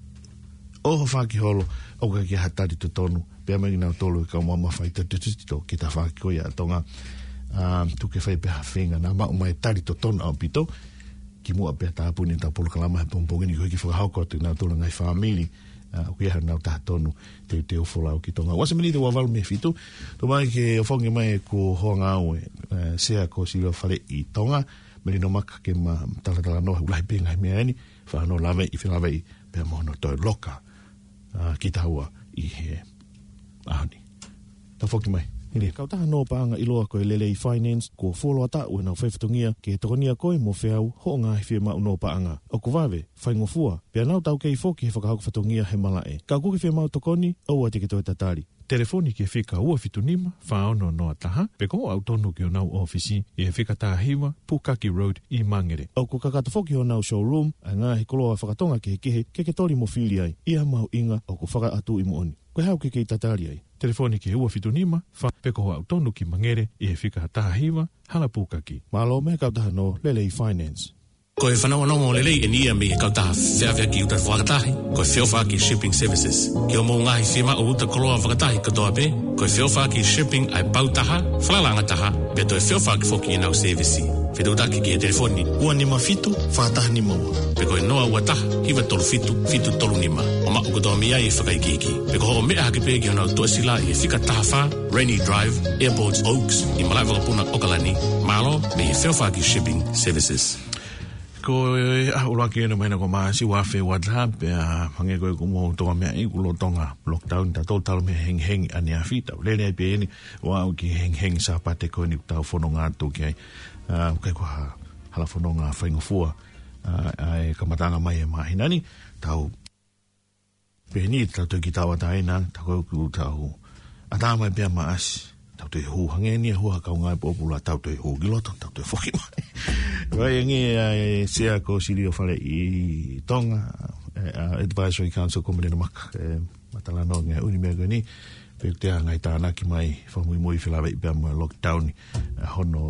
ʻoho fakaholo, ʻoku ʻikai ke ʻi ai ha tali totonu, pea mo kinautolu e kau mamafa ʻi he tototito ki he tafaʻaki ko ia ʻa Tonga. ʻA, tuku ke fai pē ha feinga naʻa maʻu mai e tali totonu ʻaupito, kimuʻa pea tāpuni ʻetau polokalama he pongipongi ni koeʻuhi ke fakahoko atu kinautolu e ngaahi fāmili, ʻa, ʻoku ʻi ai haʻanau taha tonu teuteu folau ki Tonga. Ua miniti ua valu mei he fitu, tau mai ke ʻofongi mai ʻeku houngaʻia, ʻe, Sea ko Silio Faleʻi Tonga, Melino Maka ke ma talatalanoa he ʻoku lahi pē ngaahi meʻa eni, fānau lave ʻi felāveʻi, pea mo hono toe loka, ʻa, kitaua ʻi he ʻaho ni. Tafoki mai, Nili. Kautaha nō paʻanga ʻiloa ko e Lelei Finance, kuo fuoloa taʻu ʻenau faifatongia ke tokoniʻi koe mo feau hoʻo ngaahi fiemaʻu nō paʻanga. ʻOku vave, faingofua, pea nau taukei foki he fakahoko fatongia he malaʻe. Ka ʻoku ke fiemaʻu tokoni, ʻoua te ke toe tatali. Telefoni ki he fika ua fitu nima, fā ono noa taha, pe ko hoʻo aʻu tonu ki honau ʻōfisi, ʻi he fika taha hiva, Pukaki Road, ʻi Mangere. ʻOku kakato foki honau showroom, ʻa e ngaahi koloa faka-Tonga kehekehe, ke ke toli mo fili ai, ʻi ha mahuʻinga ʻoku fakaʻatuʻi moʻoni. Ko e hā ʻoku ke kei tatali ai? Telefoni ki he ua fitu nima, fā, pe ko hoʻo aʻu tonu ki Mangere, ʻi he fika taha hiva, Hala Pukaki. Mālō mei he kautaha nō Lelei Finance. Ko e fanongonongo lelei eni ia mei he kautaha feʻaveʻaki uta fakatahi, ko e Feʻofaʻaki Shipping Services. Ki hoʻomou ngaahi fiemaʻu uta koloa fakatahi kotoa pē, ko e Feʻofaʻaki Shipping ʻa e pau taha, falalaʻanga taha, pea toe feʻofaʻaki foki ʻenau sēvisi. Fetuʻutaki ki he telefoni ua nima fitu, fā taha nima ua. Pe ko e noa ua taha, hiva tolu fitu, fitu tolu nima. ʻO maʻu kotoa mei ai e fakaikiiki. Pe ko hoʻo meʻa hake pē ki honau tuʻasila ʻi he fika taha fā, Rainy Drive, Airport Oaks, ʻi malaʻe vakapuna ʻOkalani. Mālō mei he Feʻofaʻaki Shipping Services. Ko e, ʻa, ʻuluaki ʻeni ʻo e māhina ko Maʻasi, ua afe ua taha, pea hangē ko e kuo mou toki meaʻi, kuo lolotonga lockdown tautolu talu mei he hengihengi ʻaneafi, tau lele ai pē eni, ʻo aʻu ki he hengihengi Sāpate ko eni ʻoku tau fononga atu ki ai. ʻA, ʻoku ʻikai ko ha hala fononga faingofua, ʻa, ʻa e kamataʻanga mai e māhina ni, tau pehē ni, tau toe kiʻi tauʻatāina, tau kau ku tau ʻatā mai pē ʻa Maʻasi, tau toe hū, hangē ni e hū ha kaungā e pōpula, tau toe hū ki loto, tau toe foki mai. Vai ange ʻa e Sea ko Silio Faleʻi Tonga, ʻe, ʻa, Advisory Council ko Melino Maka, ʻe, ma talanoa ange ʻa e ʻū meʻa ko eni, pea ʻoku toe ʻi ai e ngaahi tānaki mai, fakamuimui felāveʻi pea mo e lockdown, ʻa, hono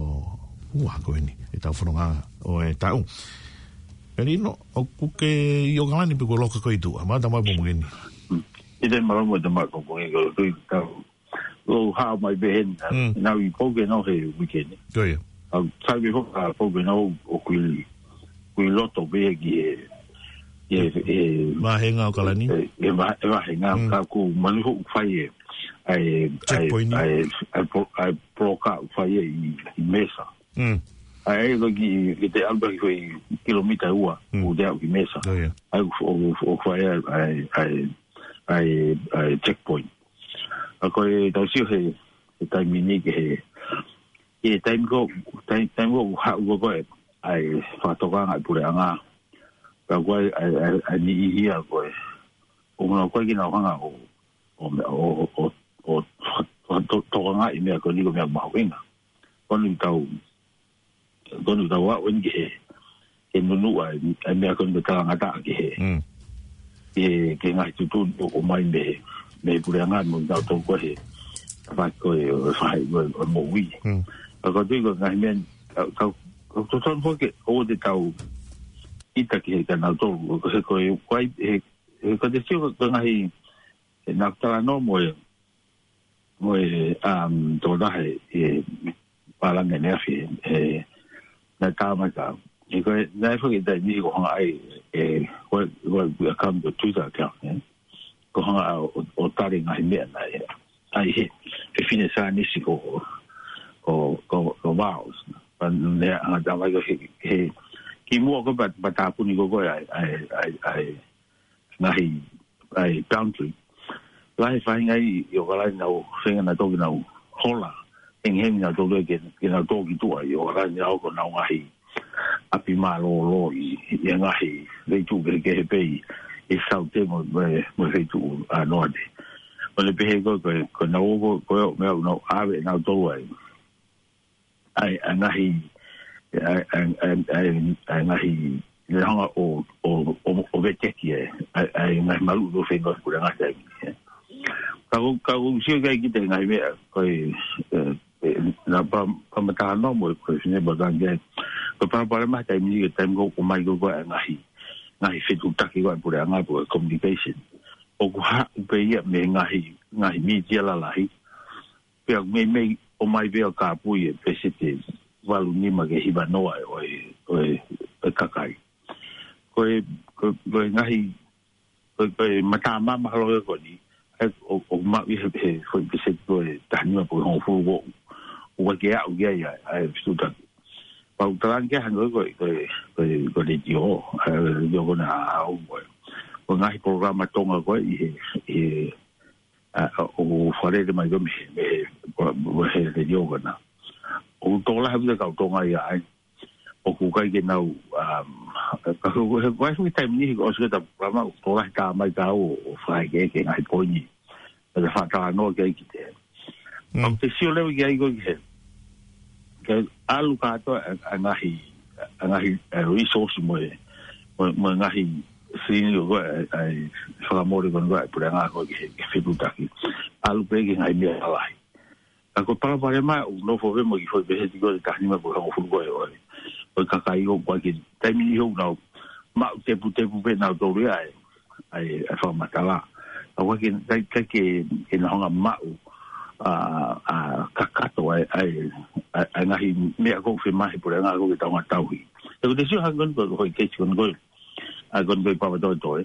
ua ko eni, ʻetau fononga ʻo e taʻu. Melino, ʻoku ke ʻi ʻOkalani pe kuo loka koe ʻi tuʻa, ma tama pō mugeni. Mm. ʻIkai te ma loka mo te ma ko ko e ko tui tau. Lo ha mai pē heni, Mm. nau ʻi Pokeno he weekend. Ko ia. Au, sai pē foki ʻa Pokeno ʻoku ʻi, ʻoku ʻi loto pē ki he, he, he, Vāhenga ʻOkalani. he, he vā-, he vāhenga, Mm. ka ʻoku manu foki fai e, ʻa e, Checkpoint. ʻa e, ʻa e, ʻa e pro-, ʻa e poloka ʻoku fai e ʻi, ʻi Mesa. Mm. ʻA e, ko e kiʻi, kiʻi te alu pē ki he kilomita ua, Mm. ʻo te aʻu ki Mesa. Oh, yeah. ʻA e, ʻo, ʻo, ʻo fai ʻa e, ʻa e, ʻa e, ʻa e, ʻa e checkpoint. ʻA ko e tau sio he, he taimi ni ki he, he taimi ko, taimi, taimi ko haʻu ko e, ʻa e fakatokanga ʻa e puleʻanga. Ka ko e, ʻa e, ʻa e, ʻa e niʻihi ia ko e. ʻO ngā ko e kinautolu hanga ʻo, ʻo, ʻo, ʻo, ʻo, ʻo to-, tokangaʻi meʻa ko eni ko e meʻa mahuʻinga. Ko eni tau, ko eni tau aʻu eni ki he, ke nunuʻa e, e meʻa ko eni ko e talangataʻa ki he, Mm. ki he, ki he ngaahi tuʻutuʻuni ʻoku ʻomai mei he, mei he puleʻanga mo kinautolu ko ē he tafaʻaki ko ē ʻo e faʻahi ko ē ʻo e moʻui. Ka ko e tui ko e ngaahi meʻa, ka, ka, ka totonu foki ʻoua te tau ʻita ki he kinautolu, ko e, ko e, ko e, he, he, ko e te sio ko e ngaahi, he naʻa ku talanoa mo e, mo e, um, tō lahi, he, pālangi ʻaneafi, he, naʻe tā mai ka. He ko e, naʻe foki taimi ko hanga ai, e, ko e, ko e account ko e Twitter account, ē. Ko hanga ʻo, ʻo, ʻo tali ngaahi meʻa naʻe, ʻai he, he fine saienisi ko, ko, ko, ko Miles. Pea ne hanga tā mai ko e, he, he, kimuʻa ko e pat-, pea tāpuni ko ē ʻa e, ʻa e, ʻa e, ʻa e, ngaahi, ʻa e boundary. Lahi e faʻahinga ʻi, ʻi ʻOkalani naʻa nau feinga naʻa nau toki nau hola. Hengihengi naʻa nau toki ke, ke nau toki tuʻa ʻi ʻOkalani naʻa nau ko ʻenau ngaahi ʻapi mālōlō ʻi, ʻi he ngaahi feituʻu kehekehe pē ʻi, ʻi Saute mo, mo, mo e feituʻu ʻa Noate. ʻO ne pehē ko e, ko e, ko ʻenau ō ko ē, ko e meʻa ʻoku nau ʻave ʻe nautolu ai. ʻA e, ʻa e ngaahi, ʻa e, ʻa e, ʻa e, ʻa e, ʻa e ngaahi, ne hanga ʻo, ʻo, ʻo, ʻo veteki ʻa e, ʻa e, ʻa e ngaahi maluʻi ʻo feinga ʻo puleʻanga taimi, ē. Ka ko, ka ko u sio ki ai ki he ngaahi meʻa, ko e, ē, ē, naʻa pa, pa mata no mo e ko e fine pa kan ke, ko e palopalema he taimi ni, ko e taimi ko ē ʻoku ʻomai ko ē ko e ngaahi, ngaahi fetuʻutaki ko ē ʻa e puleʻanga pe ko e communication. ʻOku haʻu pē ia mei he ngaahi, ngaahi mītia lalahi, pea meimei ʻomai pē ʻo kāpui e peseti valu nima ki he hiva noa ʻo e, ʻo e, ʻo e kakai. Ko e, ko e, ko e ngaahi, ko e, ko e mata mama holo e ko eni, ʻa e ʻo, ʻo maʻu ʻi he, he foʻi peseti ko e taha nima pe ko e hongofulu ko ē, ʻoku ʻikai ke aʻu ki ai ʻa e, ʻa e fetuʻutaki. Pea u talaange hangē ko e, ko e, ko e, ko e letiō, ʻa e letiō ko ena ʻa au ko ē. Ko e ngaahi polokalama Tonga ko ē ʻi he, ʻi he, ʻa, ʻa, ʻoku fakalele mai ko ē mei he, mei he, mei he letiō ko ena. ʻOku tokolahi ʻaupito e kau Tonga ia ai. ʻOku ʻikai ke nau, um, ka ko e, ko e, ko e foʻi taimi ni, ko e ʻosi ko ē ʻeta polokalama, ʻoku tokolahi tā mai ka ʻo, ʻo fai ke, ke ngaahi poini. Ka te fakatalanoa ki ai ki te. Mm. ʻOku te sio leva ki ai ko ē ki he. Ke ʻalu kātoa ʻa, ʻa e ngaahi, ʻa e ngaahi, ʻa e resource mo e, mo e, mo e ngaahi sini ko ē, ʻa e, ʻa e fakamole ko eni ko ē, ʻa e puleʻanga ko ē ki he, ki he fetuʻutaki. ʻAlu pē ki he ngaahi meʻa lalahi. Ka ko e palopalema ʻoku nofo pē mo e kiʻi foʻi peseti ko e taha nima pe ko e hongofulu ko ē ʻo e, ʻo e kakai ʻoku ʻikai ke taimi ni ʻoku nau maʻu teputepu pē nautolu ia ʻa e, ʻa e, ʻa e fakamatala. Ka ʻoku ʻikai ke, ʻikai, ʻikai ke, ke nau hanga ʻo maʻu, ʻa, ʻa, kakato ʻa e, ʻa e, ʻa e, ʻa e ngaahi meʻa ʻoku fiemaʻu ʻe he puleʻanga ko ē ke tau ngāue tauhi. He ko e te sio hangē ko eni ko e, ko e foʻi keisi ko eni ko ē. ʻA e ko eni ko e Papatoetoe.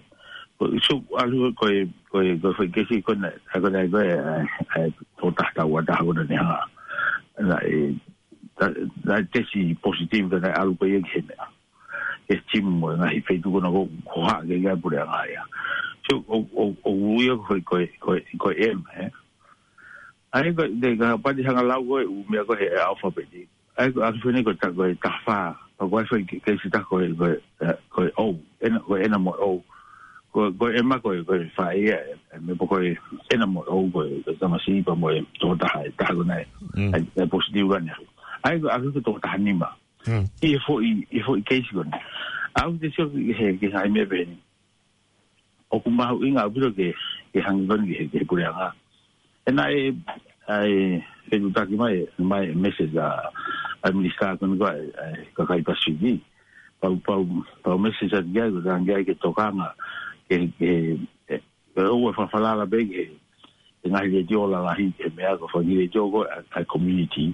Ko e, so, ʻalu ko e, ko e, ko e foʻi keisi ko ena, ʻa e ko ena ko e, ʻa e, ʻa e, tō taha tau ʻa taha ko ena ne hanga. Naʻe, ta, naʻe tesi positive ka naʻe ʻalu ko ia ki he meʻa. Ke timu mo e ngaahi feituʻu ko ena ʻoku, ʻoku haʻu ki ai ʻa e puleʻanga ia. So, ʻo, ʻo, ʻo, ʻo ia ko e, ko e, ko e, ko e M, ē? ʻA ia ko e, te ka pati hanga lau ko e, ʻū meʻa ko ē he alphabet. ʻA ia ko e alphabet ko e ta, ko e taha fā. Pea ko e foʻi ke, keisi taha ko e, ko e, ē, ko e O. Ena, ko e ena mo e O. Ko, ko e M ko e, ko e fā ia, ē, ē, meʻa pē ko e ena mo e O ko e, ko e tamasiʻi pea mo e tō taha, ʻe taha ko ena ē. Mm. ʻA ia, ʻa ia positive ko ena. ʻA ia ko e alphabet ko e tō taha nima. Mm. ʻI he foʻi, ʻi he foʻi keisi ko ena. ʻOku te sio ki he, ki he ngaahi meʻa pehē ni. ʻOku mahuʻinga ʻaupito ke, ke hangē ko eni ki he, ki he puleʻanga. ʻE naʻe, ʻa e, fetuʻutaki mai, mai e message ʻa, ʻa e minisitā ko eni ko ē, ʻa e, ʻa e kakai Pasifiki. Pea u, pea u, pea u message atu ki ai, ko e tangi ai ke tokanga, ke, ke, ē, ʻoua ʻe fakafalala pē ki he, he ngaahi letiō lalahi, he meʻa ko e fanga letiō ko ē ʻa, ʻa e community.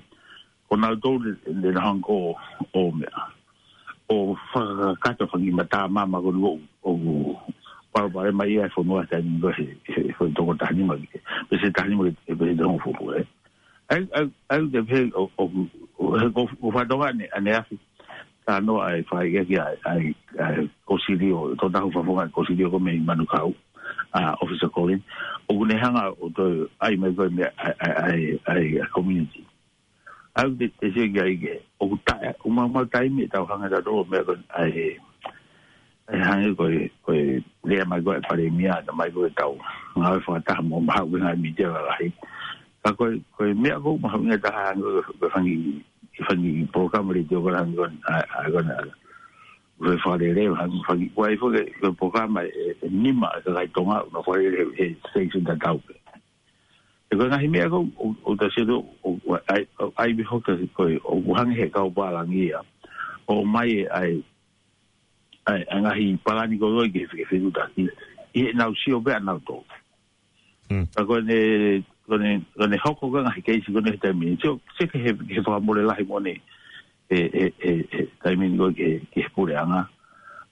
Ko nautolu ne, ne nau hanga ʻo, ʻo meʻa. ʻO fakakakato e fanga mata mama ko eni ʻoku, ʻoku palopalema ia ʻa e fonua taimi ni ko ē he, he, he foʻi toko taha nima ki he, peseti taha nima ki he, peseti hongofulu ē. ʻA ia, ʻa ia, ʻa ia te pehē ʻo, ʻo, ʻo, he ko, ko e fatongia ʻaneafi. Talanoa ai fai ia ki ai, ai, ai, Kosilio, tō taha fakafofonga Kosilio ko ē mei Manukau, ʻa, Officer Colin. ʻOku ne hanga ʻo toe ʻai mai ko e meʻa, ʻa e, ʻa e, ʻa e, ʻa e, ʻa e community. ʻOku te, te sio ki ai ke, ʻoku taʻe, ʻoku maumau taimi ʻetau hanga ʻo tō meʻa ko ē, ʻa e, ʻa e hangē ko e, ko e lea mai ko ē ʻa e palēmia, ʻomai ko ē ʻetau ngāue fakataha mo e ngaahi mītia lalahi. Ka ko e, ko e meʻa ʻoku mahuʻinga taha hangē ko e, ko e fanga, fanga polokalama letiō ko ē hangē ko ē, ʻa, ʻa, ko ē, ʻa, ʻoku fakalele, hangē, faki, ʻoku ʻi ai foki e, e polokalama ʻe, ʻe nima ʻa e kakai Tonga, ʻoku nau fakalele he station tatau pē. He ko e ngaahi meʻa ko ē, ʻo, ʻo ta sio, ʻo, ʻo, ʻai, ʻo, ʻai pē hoka ko ē, ʻoku hangē he kau pālangi ia. ʻOmai e, ʻai, ʻai, ʻa e ngaahi palani ko ē ki he, ki he fetuʻutaki. ʻI heʻenau sio pē ʻanautolu. Mm. Ka ko ʻene, ko ʻene, ko ʻene hoko ko ē ngaahi keisi ko eni he taimi ni. Sio, sio ki he, ki he fakamole lahi mo ʻene, he, he, he, he taimi ni ko ē ki he, ki he puleʻanga.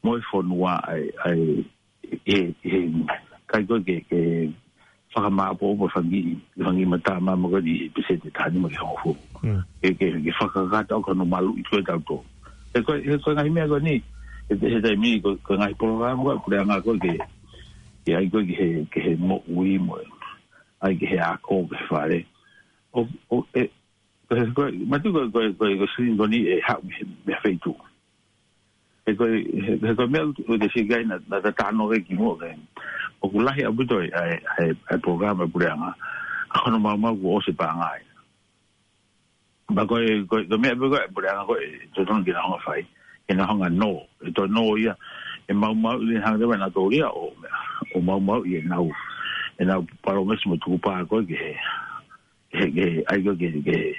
Mo e fonua ʻai, ʻai, he, he, kai ko ē ke, ke fakamāʻopoʻopo e fanga kiʻi, fanga kiʻi matāmama ko eni he peseti ʻe taha nima ki he hongofulu. Mm. Ke, ke, ke fakakakato ʻaki hono maluʻi ko ē ʻa tautolu. He ko e, he ko e ngaahi meʻa ko eni, he, he taimi ni ko e, ko e ngaahi polokalama ko ē ʻa e puleʻanga ko ē ke, ke ʻai ko ē ki he, ki he moʻui mo e, ʻai ki he ako, ki he fale. ʻO, ʻo, e, ko e, ko e, mātuʻaki ko e, ko e, ko e, ko e screen ko eni ʻe haʻu mei he, mei he feituʻu. He ko e, he, he ko e meʻa ʻoku, ʻoku te sio ki ai naʻa, naʻa ta talanoa ki ai kimuʻa ko ē. ʻOku lahi ʻaupito ʻa e, ʻa e, ʻa e, ʻa e polokalama ʻa e puleʻanga. Ka ko hono maumau kuo ʻosi e paʻanga ia. Pea ko e, ko e, ko e meʻa pē ko ē ʻa e puleʻanga ko ē, totonu ke nau hanga ʻo fai. Ke nau hanga ʻo nō, ʻe toe nō ia, ʻe maumauʻi leva ʻe nautolu ia ʻo, ʻo maumauʻi ʻenau, ʻenau palōmesi mo e tukupā ko ē ki he, he, he, ʻai ko ē ki he, ki he,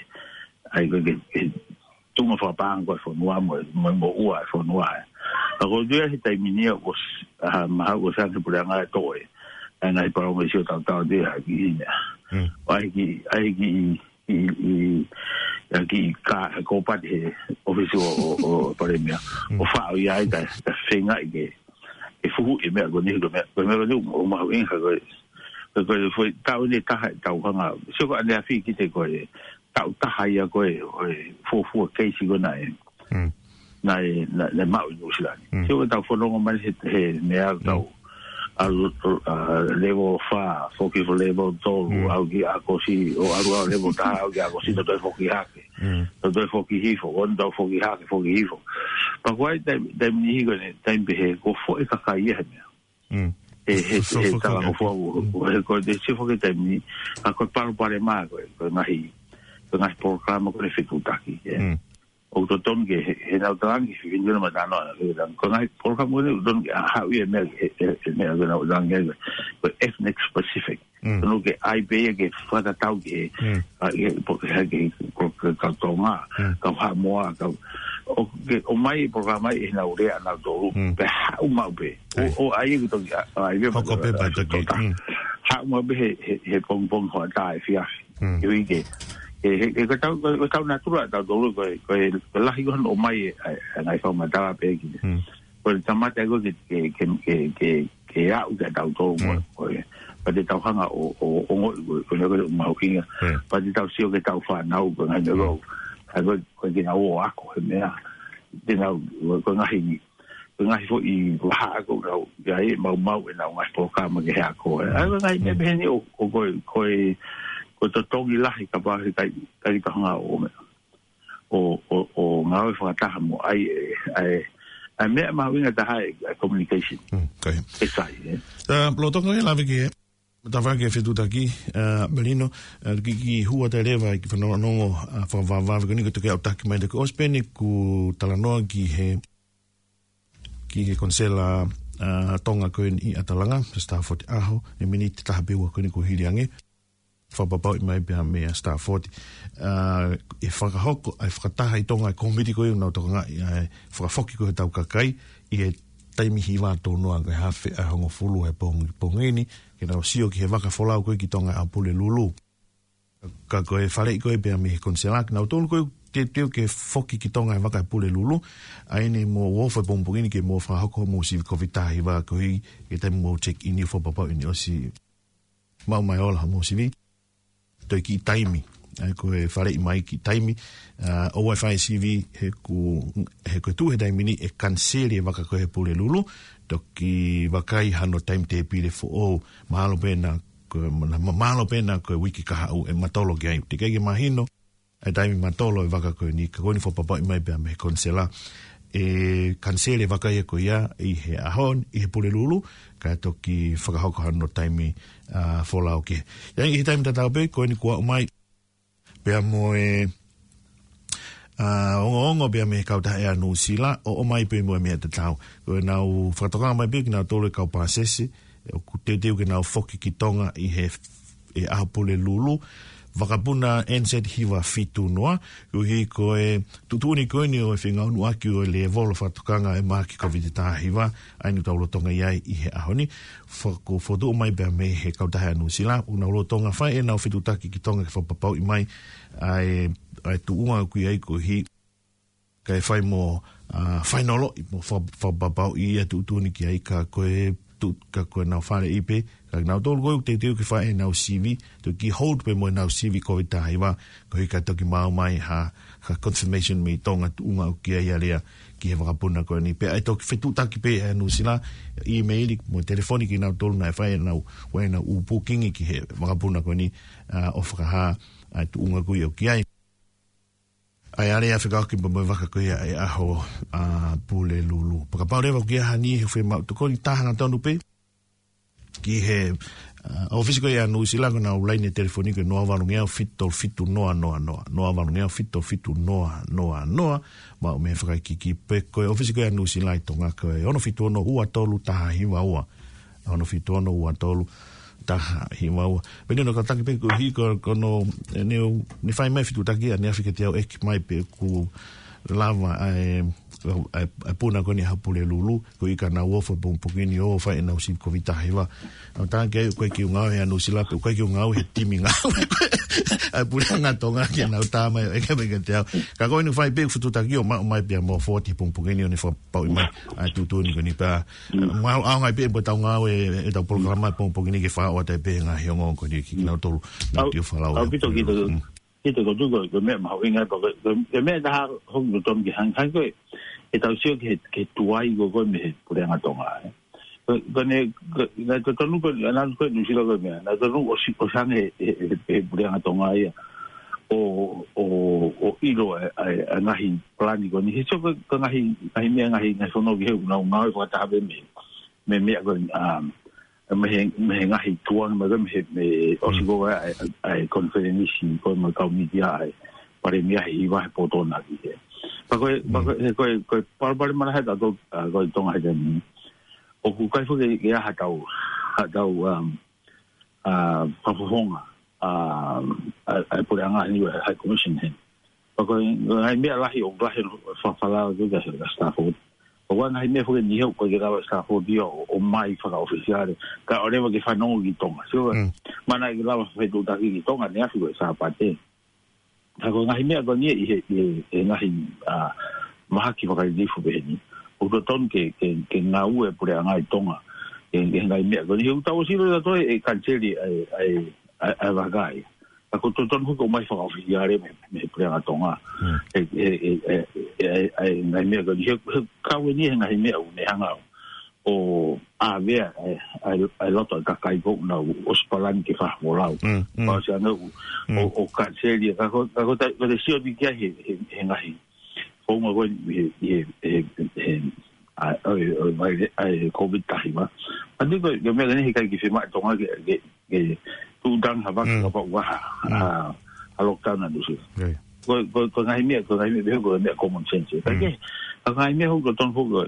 ʻai ko ē ki he, ki he tuʻunga fakapaʻanga ko ē ʻa e fonua mo, mo, mo ua e fonua ē. Ka ko e tuʻu ia he taimi ni ia ʻoku s-, ʻa, mahalo ʻoku ʻosi ange ʻe he puleʻanga ʻo toʻo e, ʻa e ngaahi palōmesi ʻo tautau atu ia ki he meʻa. Mm. ʻO ʻai ki, ʻai ki, i, i, ʻa e kiʻi kā, ko pati he ʻōfisi ʻo, ʻo, ʻo Palēmia. Mm. ʻO faʻo ia ai ka, ka feingaʻi ke, ke fuhu e meʻa ko eni, ko e meʻa, ko e meʻa ko eni ʻoku mahuʻinga ka ko e, ka ko e foʻi taʻu ʻe taha ʻetau hanga. Sio ko ʻaneafi kiate koe, taʻu taha ia ko ē, ʻo e fuofua keisi ko ena ē. Mm. Naʻe, naʻe, naʻe maʻu ʻi Nuʻusila ni. Mm. Sio ko ʻetau fononga mai he, he meʻa Mm. tau, ʻalu, ʻa, level fā, foki ki level tolu, Mm. ʻalu ki ʻAokosi, ʻo ʻalu ʻa level taha, ʻalu ki ʻAokosi, Mm. tau toe foki hake. Mm. Tau toe foki hifo, ʻo tau foki hake, foki hifo. Pea ko e taimi, taimi ni ko eni, taimi pē he, kuo foʻi kakai ia he meʻa. Mm. He, he, Fo-, he fo-, fo-, talangofua, Mm. ʻo, ʻo, he ko e te sio foki taimi ni, ʻa ko e palopalema ko ē, ko e ngaahi, ko e ngaahi polokalama ko ē ʻa e fetuʻutaki, ē. Mm. ʻOku totonu ke, he, he nau talangi, he fefine ko ena matanoa, he talangi. Ko e ngaahi polokalama ko eni, ʻoku totonu ke ʻa, haʻu ia e meʻa, he, he, he meʻa ko ena ʻoku talangi, ko e ethnic specific. Mm. Totonu ke ʻai pē ia ke fakatatau ki he, Mm. ʻa, ki he, po-, ki he, ki he, ko, ko, kau Tonga, Mm. kau Haʻamoa, kau, ʻo, ke, ʻomai e polokalama ʻi heʻenau lea ʻanautolu, Mm. pea haʻu maʻu pē. ʻO, ʻAi. ʻo ʻai ia ke toki, ʻa, ʻai pē Hoko pē pea toki, toka. Mm. Haʻu maʻu pē he, he, he pongipongi hoʻatā efiafi. Mm. Ke ui ke, he, he, he ko ʻetau, ko, ko ʻetau natula ʻatautolu, ko e, ko e, ko e lahi ko ē hono ʻomai e, ʻa e, ʻa e ngaahi fakamatala pē ki he. Mm. Ko e kamata ko ē ke, ke, ke, ke, ke, ke aʻu kia tautolu mo, Mm. ko e, pea te tau hanga ʻo, ʻo, ʻo ongoʻi ko e, ko e, ko e mahuʻinga. Mm. Pea te tau sio ki heʻetau fānau, ko e ngaahi meʻa Mm. ko ē, ʻa ko e, ko e ke nau ō ʻo ako he meʻa. Te nau, ko e, ko e ngaahi, ko e ngaahi foʻi vahaʻa ko ē ʻoku nau, ʻi ai e maumau ʻenau ngaahi polokalama ki he ako. Mm. ʻA e ngaahi meʻa Mm. pehē ni ʻoku, ʻoku ko e, ko e, ko e totongi lahi kapau he ʻikai, ʻikai ke tau hanga ʻo meʻa. ʻO, ʻo, ʻo ngāue fakataha mo ʻai e, ʻa e, ʻa e meʻa mahuʻinga taha ʻa e, ʻa e communication. Mm, ko ia. ʻE sai, ē. ʻA, lolotonga e lave ki he, tafaʻaki e fetuʻutaki, ʻa, Melino, ʻa, kiʻi, kiʻi hū atu leva e kiʻi fanongonongo, ʻa, fakavavevave ko eni ko e toki ʻautaki mai te ko ʻosi pē eni kuo talanoa ki he, ki he konisela, ʻa, Tonga ko eni ʻi ʻAtalanga, Stafford ʻAho, ʻi he miniti ʻe taha pe ua ko eni kuo hili ange. Fakapapauʻi mai pea meia Stafford. ʻA, ʻe fakahoko, ʻa e fakataha ʻi Tonga e kōmiti ko ē ʻoku nau tokangaʻi, ʻa e fakafoki ko ē hotau kakai, ʻi he taimi hiva tō noa ko e haafe ʻa e hongofulu ʻa e pongi, pongi ni, ke nau sio ki he vaka folau ko ē ki Tonga ʻa Pulelulu. Ka ko e faleʻi ko ē pea mei he konisela, kinautolu ko ē teuteu ke foki ki Tonga e vaka ʻa Pulelulu, ʻa eni mou ō fai pongipongi ni ke mou fakahoko hoʻomou sivi Kōviti taha hiva ko ē, ke taimi mou check in ʻo fakapapauʻi ʻene ʻosi maʻu mai ʻo ola hoʻomou sivi. Toe kiʻi taimi. ʻA ia ko e faleʻi mai kiʻi taimi. ʻA, ʻoua ʻe fai sivi he ko, he ko e tuʻu he taimi ni ʻe kaniseli e vaka ko ē ʻa Pulelulu. Toki vakai hano taimi tēpile foʻou. Mahalo pē naʻa ko, ma-, ma-, mahalo pē naʻa ko e uike kahaʻu ʻe matolo ki ai. Teʻeki ai ke mahino ʻa e taimi matolo e vaka ko eni, ka ko eni fakapapauʻi mai pea mei he konisela. ʻE kaniseli e vaka ia ko ia ʻi he ʻaho ni, ʻi he Pulelulu, kae toki fakahoko hano taimi, ʻa, folau ki ai. ʻI he taimi tatau pē, ko eni kuo aʻu mai. Pea mo e, ʻa, ongoongo pea mei he kautaha ʻa Nuʻusila, ʻo ʻomai pē mo e meʻa tatau. Ko ʻenau fakatokangaʻi mai pē kinautolu e kau pāsese, ʻoku teuteu ke nau foki ki Tonga ʻi he, ʻi he ʻaho Pulelulu, vakapuna N Z hiva fitu noa, koeʻuhi ko e tuʻutuʻuni ko eni ʻo e fengāueʻaki ʻo e lēvolo fakatokanga e mahaki Kōviti taha hiva, ʻa eni ʻoku tau lolotonga ʻi ai ʻi he ʻaho ni, faka-, fokotuʻu mai pea mei he kautaha ʻa Nuʻusila, ʻoku nau lolotonga fai ʻenau fetuʻutaki ki Tonga ke fakapapauʻi mai, ʻa e, ʻa e tuʻunga ʻoku ʻi ai koeʻuhi, kae fai mo, ʻa, fainolo, ʻi mo fa-, fakapapauʻi ʻa e tuʻutuʻuni ki ai ka ko e tu-, ka ko ʻenau faleʻi pē, ka kinautolu ko ē ʻoku teuteu ke fai ʻenau sivi, toki hold pē mo ʻenau sivi Kōviti taha hiva, koeʻuhi ka toki maʻu mai ha, ha confirmation mei Tonga tuʻunga ʻoku ʻi ai ʻa Lea ki he vakapuna ko eni. Pea ʻe toki fetuʻutaki pē ʻa Nuʻusila, email mo telefoni kinautolu naʻe fai ʻenau, ʻo ʻenau ʻū booking ki he vakapuna ko eni, ʻa, ʻo fakahā, ʻa e tuʻunga ko ē ʻoku ʻi ai. ʻA ia ʻa Lea fekauʻaki mo e vaka ko ia ʻa e ʻaho, ʻa, Pulelulu. Pea kapau leva ʻoku ʻi ai ha niʻihi ʻoku fiemaʻu tokoni, talaange tonu pē ki he, ʻa, ʻōfisi ko ia ʻa Nuʻusila, ko ʻenau laine telefoni ko e noa valu ngeau fitu tolu fitu noa noa noa, noa valu ngeau fitu tolu fitu noa noa noa, maʻu mei he fakaikiiki, pe ko e ʻōfisi ko ia ʻa Nuʻusila ʻi Tonga ko e ono fitu ono ua tolu taha hiva ua. Ono fitu ono ua tolu taha hiva ua. Pea ʻi heʻene kātaki pē koeʻuhi ko, ko hono, ʻe, ne, ne fai mai fetuʻutaki ʻaneafi kiate au ʻeke mai pe ʻoku lava ʻa e, ʻa e, ʻa e puna ko eni ʻaho Pulelulu, koeʻuhi ka nau ofo he pongipongi ni ʻo fai ʻenau sivi Kōviti taha hiva. ʻOku ou talaange ki ai ʻoku ʻikai ke u ngāue ʻi Nuʻusila pea ʻoku ʻikai ke u ngāue he timi ngāue ʻa e Puleʻanga Tonga ke nau tā mai ʻo ʻeke mai kiate au. Ka ko eni fai pē fetuʻutaki ʻo maʻu mai pea mo forward he pongipongi ni ʻo ne fakapapauʻi mai ʻa e tuʻutuʻuni ko eni pea. Mm. Mau ʻaonga pē mo ʻetau ngāue, ʻetau polokalama pongipongi ni ke fakaʻotua pē ngaahi ongoongo ko eni ki kinautolu. Nau ʻaupito, ʻaupito. Mm. Kita ko tuko, ko e meʻa mahuʻinga ko, ko, ko e meʻa taha hoku totonu ke hang, hang ko e, ʻetau sio ki he, ki he tuai ko, ko e mei he Puleʻanga Tonga, ē. Ko, ko ʻene, ko, naʻe totonu ko, ʻa Nuʻusila ko e meʻa, naʻe totonu ʻo si-, ʻo hangē he, he, he, he Puleʻanga Tonga ia ʻo, ʻo, ʻo ʻilo ʻa e, ʻa e, ʻa e ngaahi palani ko eni. He sio ko, ko e ngaahi, ngaahi meʻa, ngaahi, ngaahi fonua kehe ʻoku nau ngāue fakataha pē mei, mei he meʻa ko eni, um, mei he, mei he ngaahi tuanga, mei he, mei he, mei he ʻosi ko ē ʻa e, ʻa e konifelenisi ko ē mo e kau mītia ʻa e Palēmia he hiva he pō Tonga ki he. Pea ko e, pea ko e, he ko e, ko e palopalema lahi ʻa tautolu, ʻa, ko e Tonga he taimi ni. ʻOku ʻikai foki ke ʻi ai haʻatau, haʻatau, um, ʻa, fakafofonga, ʻa, ʻa, ʻa e puleʻanga ni, ʻa e High Commission he. Pea ko e, ngaahi meʻa lahi ʻoku lahi ʻa e falala ko ē kia Stafford. ʻOku ʻi ai ngaahi meʻa foki ʻe niʻihi ʻoku ʻikai ke lava ʻe Stafford ia ʻo, ʻo ʻomai fakaʻofisiale. Kae ʻoua leva ke fanongo ki Tonga. Sio, mm, mana ke lava fetuʻutaki ki Tonga ʻaneafi ko e Sāpate. Ka ko e ngaahi meʻa ko eni ʻi he, ʻi he, ʻi he ngaahi, ʻa, mahaki fakalilifu pehē ni. ʻOku totonu ke, ke, ke ngāue puleʻanga ʻi Tonga. ʻI he, ʻi he ngaahi meʻa ko eni. He ʻoku tau ʻosi ʻilo ʻe tautolu e kaniseli ʻa e, ʻa e, ʻa e, ʻa e vakai. Ka ko e totonu foki ʻo ʻomai fakaʻofisiale mei, mei he Puleʻanga Tonga. Mm. ʻE, ʻe, ʻe ngaahi meʻa ko eni, he, he kau eni he ngaahi meʻa ʻoku ne hanga ʻo ʻavea ʻa e, ʻa e, ʻa e loto ʻa e kakai ko ē ʻoku nau ʻosi palani ke fakafolau. Mm, mm. Pea ʻosi ange ʻo, mm, ʻo, ʻo kaniseli, ka ko, ka ko ta, ko te sio ni ki ai he, he, he ngaahi. Ko e ngaahi ko eni he, he, he, he, ʻa, ʻo, ʻo, ʻa e, ʻa e Covid taha hiva. ʻA ia ko e, ko e meʻa ko eni he ʻikai ke fiemaʻu ʻe Tonga ke, ke, ke tuʻutangihia vaka, mm, kapau ʻoku ʻi ai ha, mm, ha, ha lockdown ʻa Nuʻusila. Right. Ko, ko, ko e ngaahi meʻa, ko e ngaahi meʻa, ko e meʻa common sense. Mm. Ka ke, ka ko e ngaahi meʻa ʻoku totonu foki, ʻa,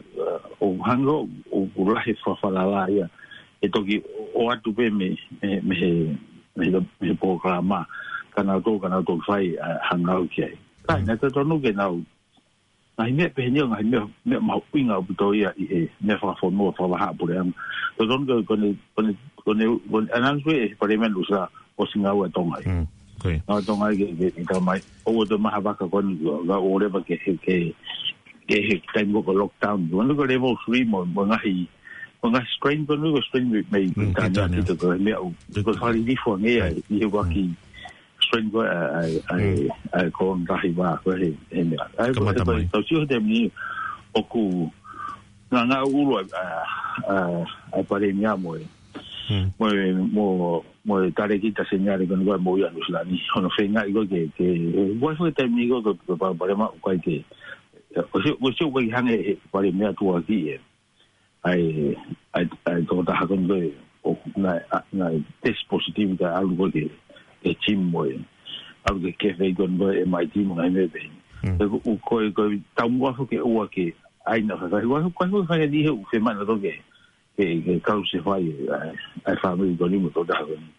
ʻo hangē ʻoku, ʻoku lahi e fakafalala ia. ʻE toki ʻoatu pē mei, mei, mei he, mei he, mei he polokalama. Ka nau toki, ka nau toki fai, ʻa, hangē ʻoku ʻi ai. Ka, mm, naʻe totonu ke nau ngaahi meʻa pehē ni ʻoku ngaahi meʻa, meʻa mahuʻinga ʻaupito ia ʻi he meʻa fakafonua, fakavahaʻapuleʻanga. Totonu ke, ko ʻene, ko ʻene, ko ʻene, ko ʻene announce ʻe he Palēmia Nuʻusila ʻosi ngāue ʻa Tonga ia. Mm, ko ia. Ngāue ʻa Tonga ia ke, ke, ke tā mai. ʻOua toe ʻomai ha vaka ko eni, ka ʻoua leva ke, ke, ke, ke he taimi ko ē ko e lockdown. Ko eni ko e level three mo, mo e ngaahi, mo e ngaahi strain ko eni ko e strain mei, mei, mm, Pilitānia, Pilitānia. Kita ko e meʻa ʻoku, ko e fakalilifu ange ia, mm, ʻi he ʻuluaki, mm, strain ko ē ʻa e, ʻa e, mm, ʻa e Corona taha hiva ko ē he, he meʻa. ʻA ia ko e, kamata ko e, mai. Tau sio he taimi ni ʻoku ngāngāʻulu ʻa e, ʻa e, ʻa e, ʻa e Palēmia mo e, mm, mo e, mo, mo e Talēkita Seniale ko eni ko ē mo ia Nuʻusila ni. Hono feingaʻi ko ē ke, ke, ʻoku ʻi ai foki e taimi ni ko ē ko e, ko e pa-, Palēmia ʻoku ʻikai ke, ʻosi, ʻosi ʻoku ʻikai hangē he Palēmia tuʻuaki ē. ʻA e, ʻa e, ʻa e tokotaha ko eni ko ē, ʻo, naʻe, ʻa, naʻe test positive kae ʻalu ko ē ki he, ki he gym mo e. ʻAlu ki he cafe ko eni ko ē M I T mo e ngaahi meʻa pehē ni. Mm. Ko, ko, ko, tau muʻa foki ke ʻoua ke ʻai naʻa faifai. Ko, ko, ko, fai ni he ʻoku fiemaʻu ʻe nautolu ke, ke, ke kau se fai, ʻa, ʻa e fāmili ko eni mo e tokotaha ko eni.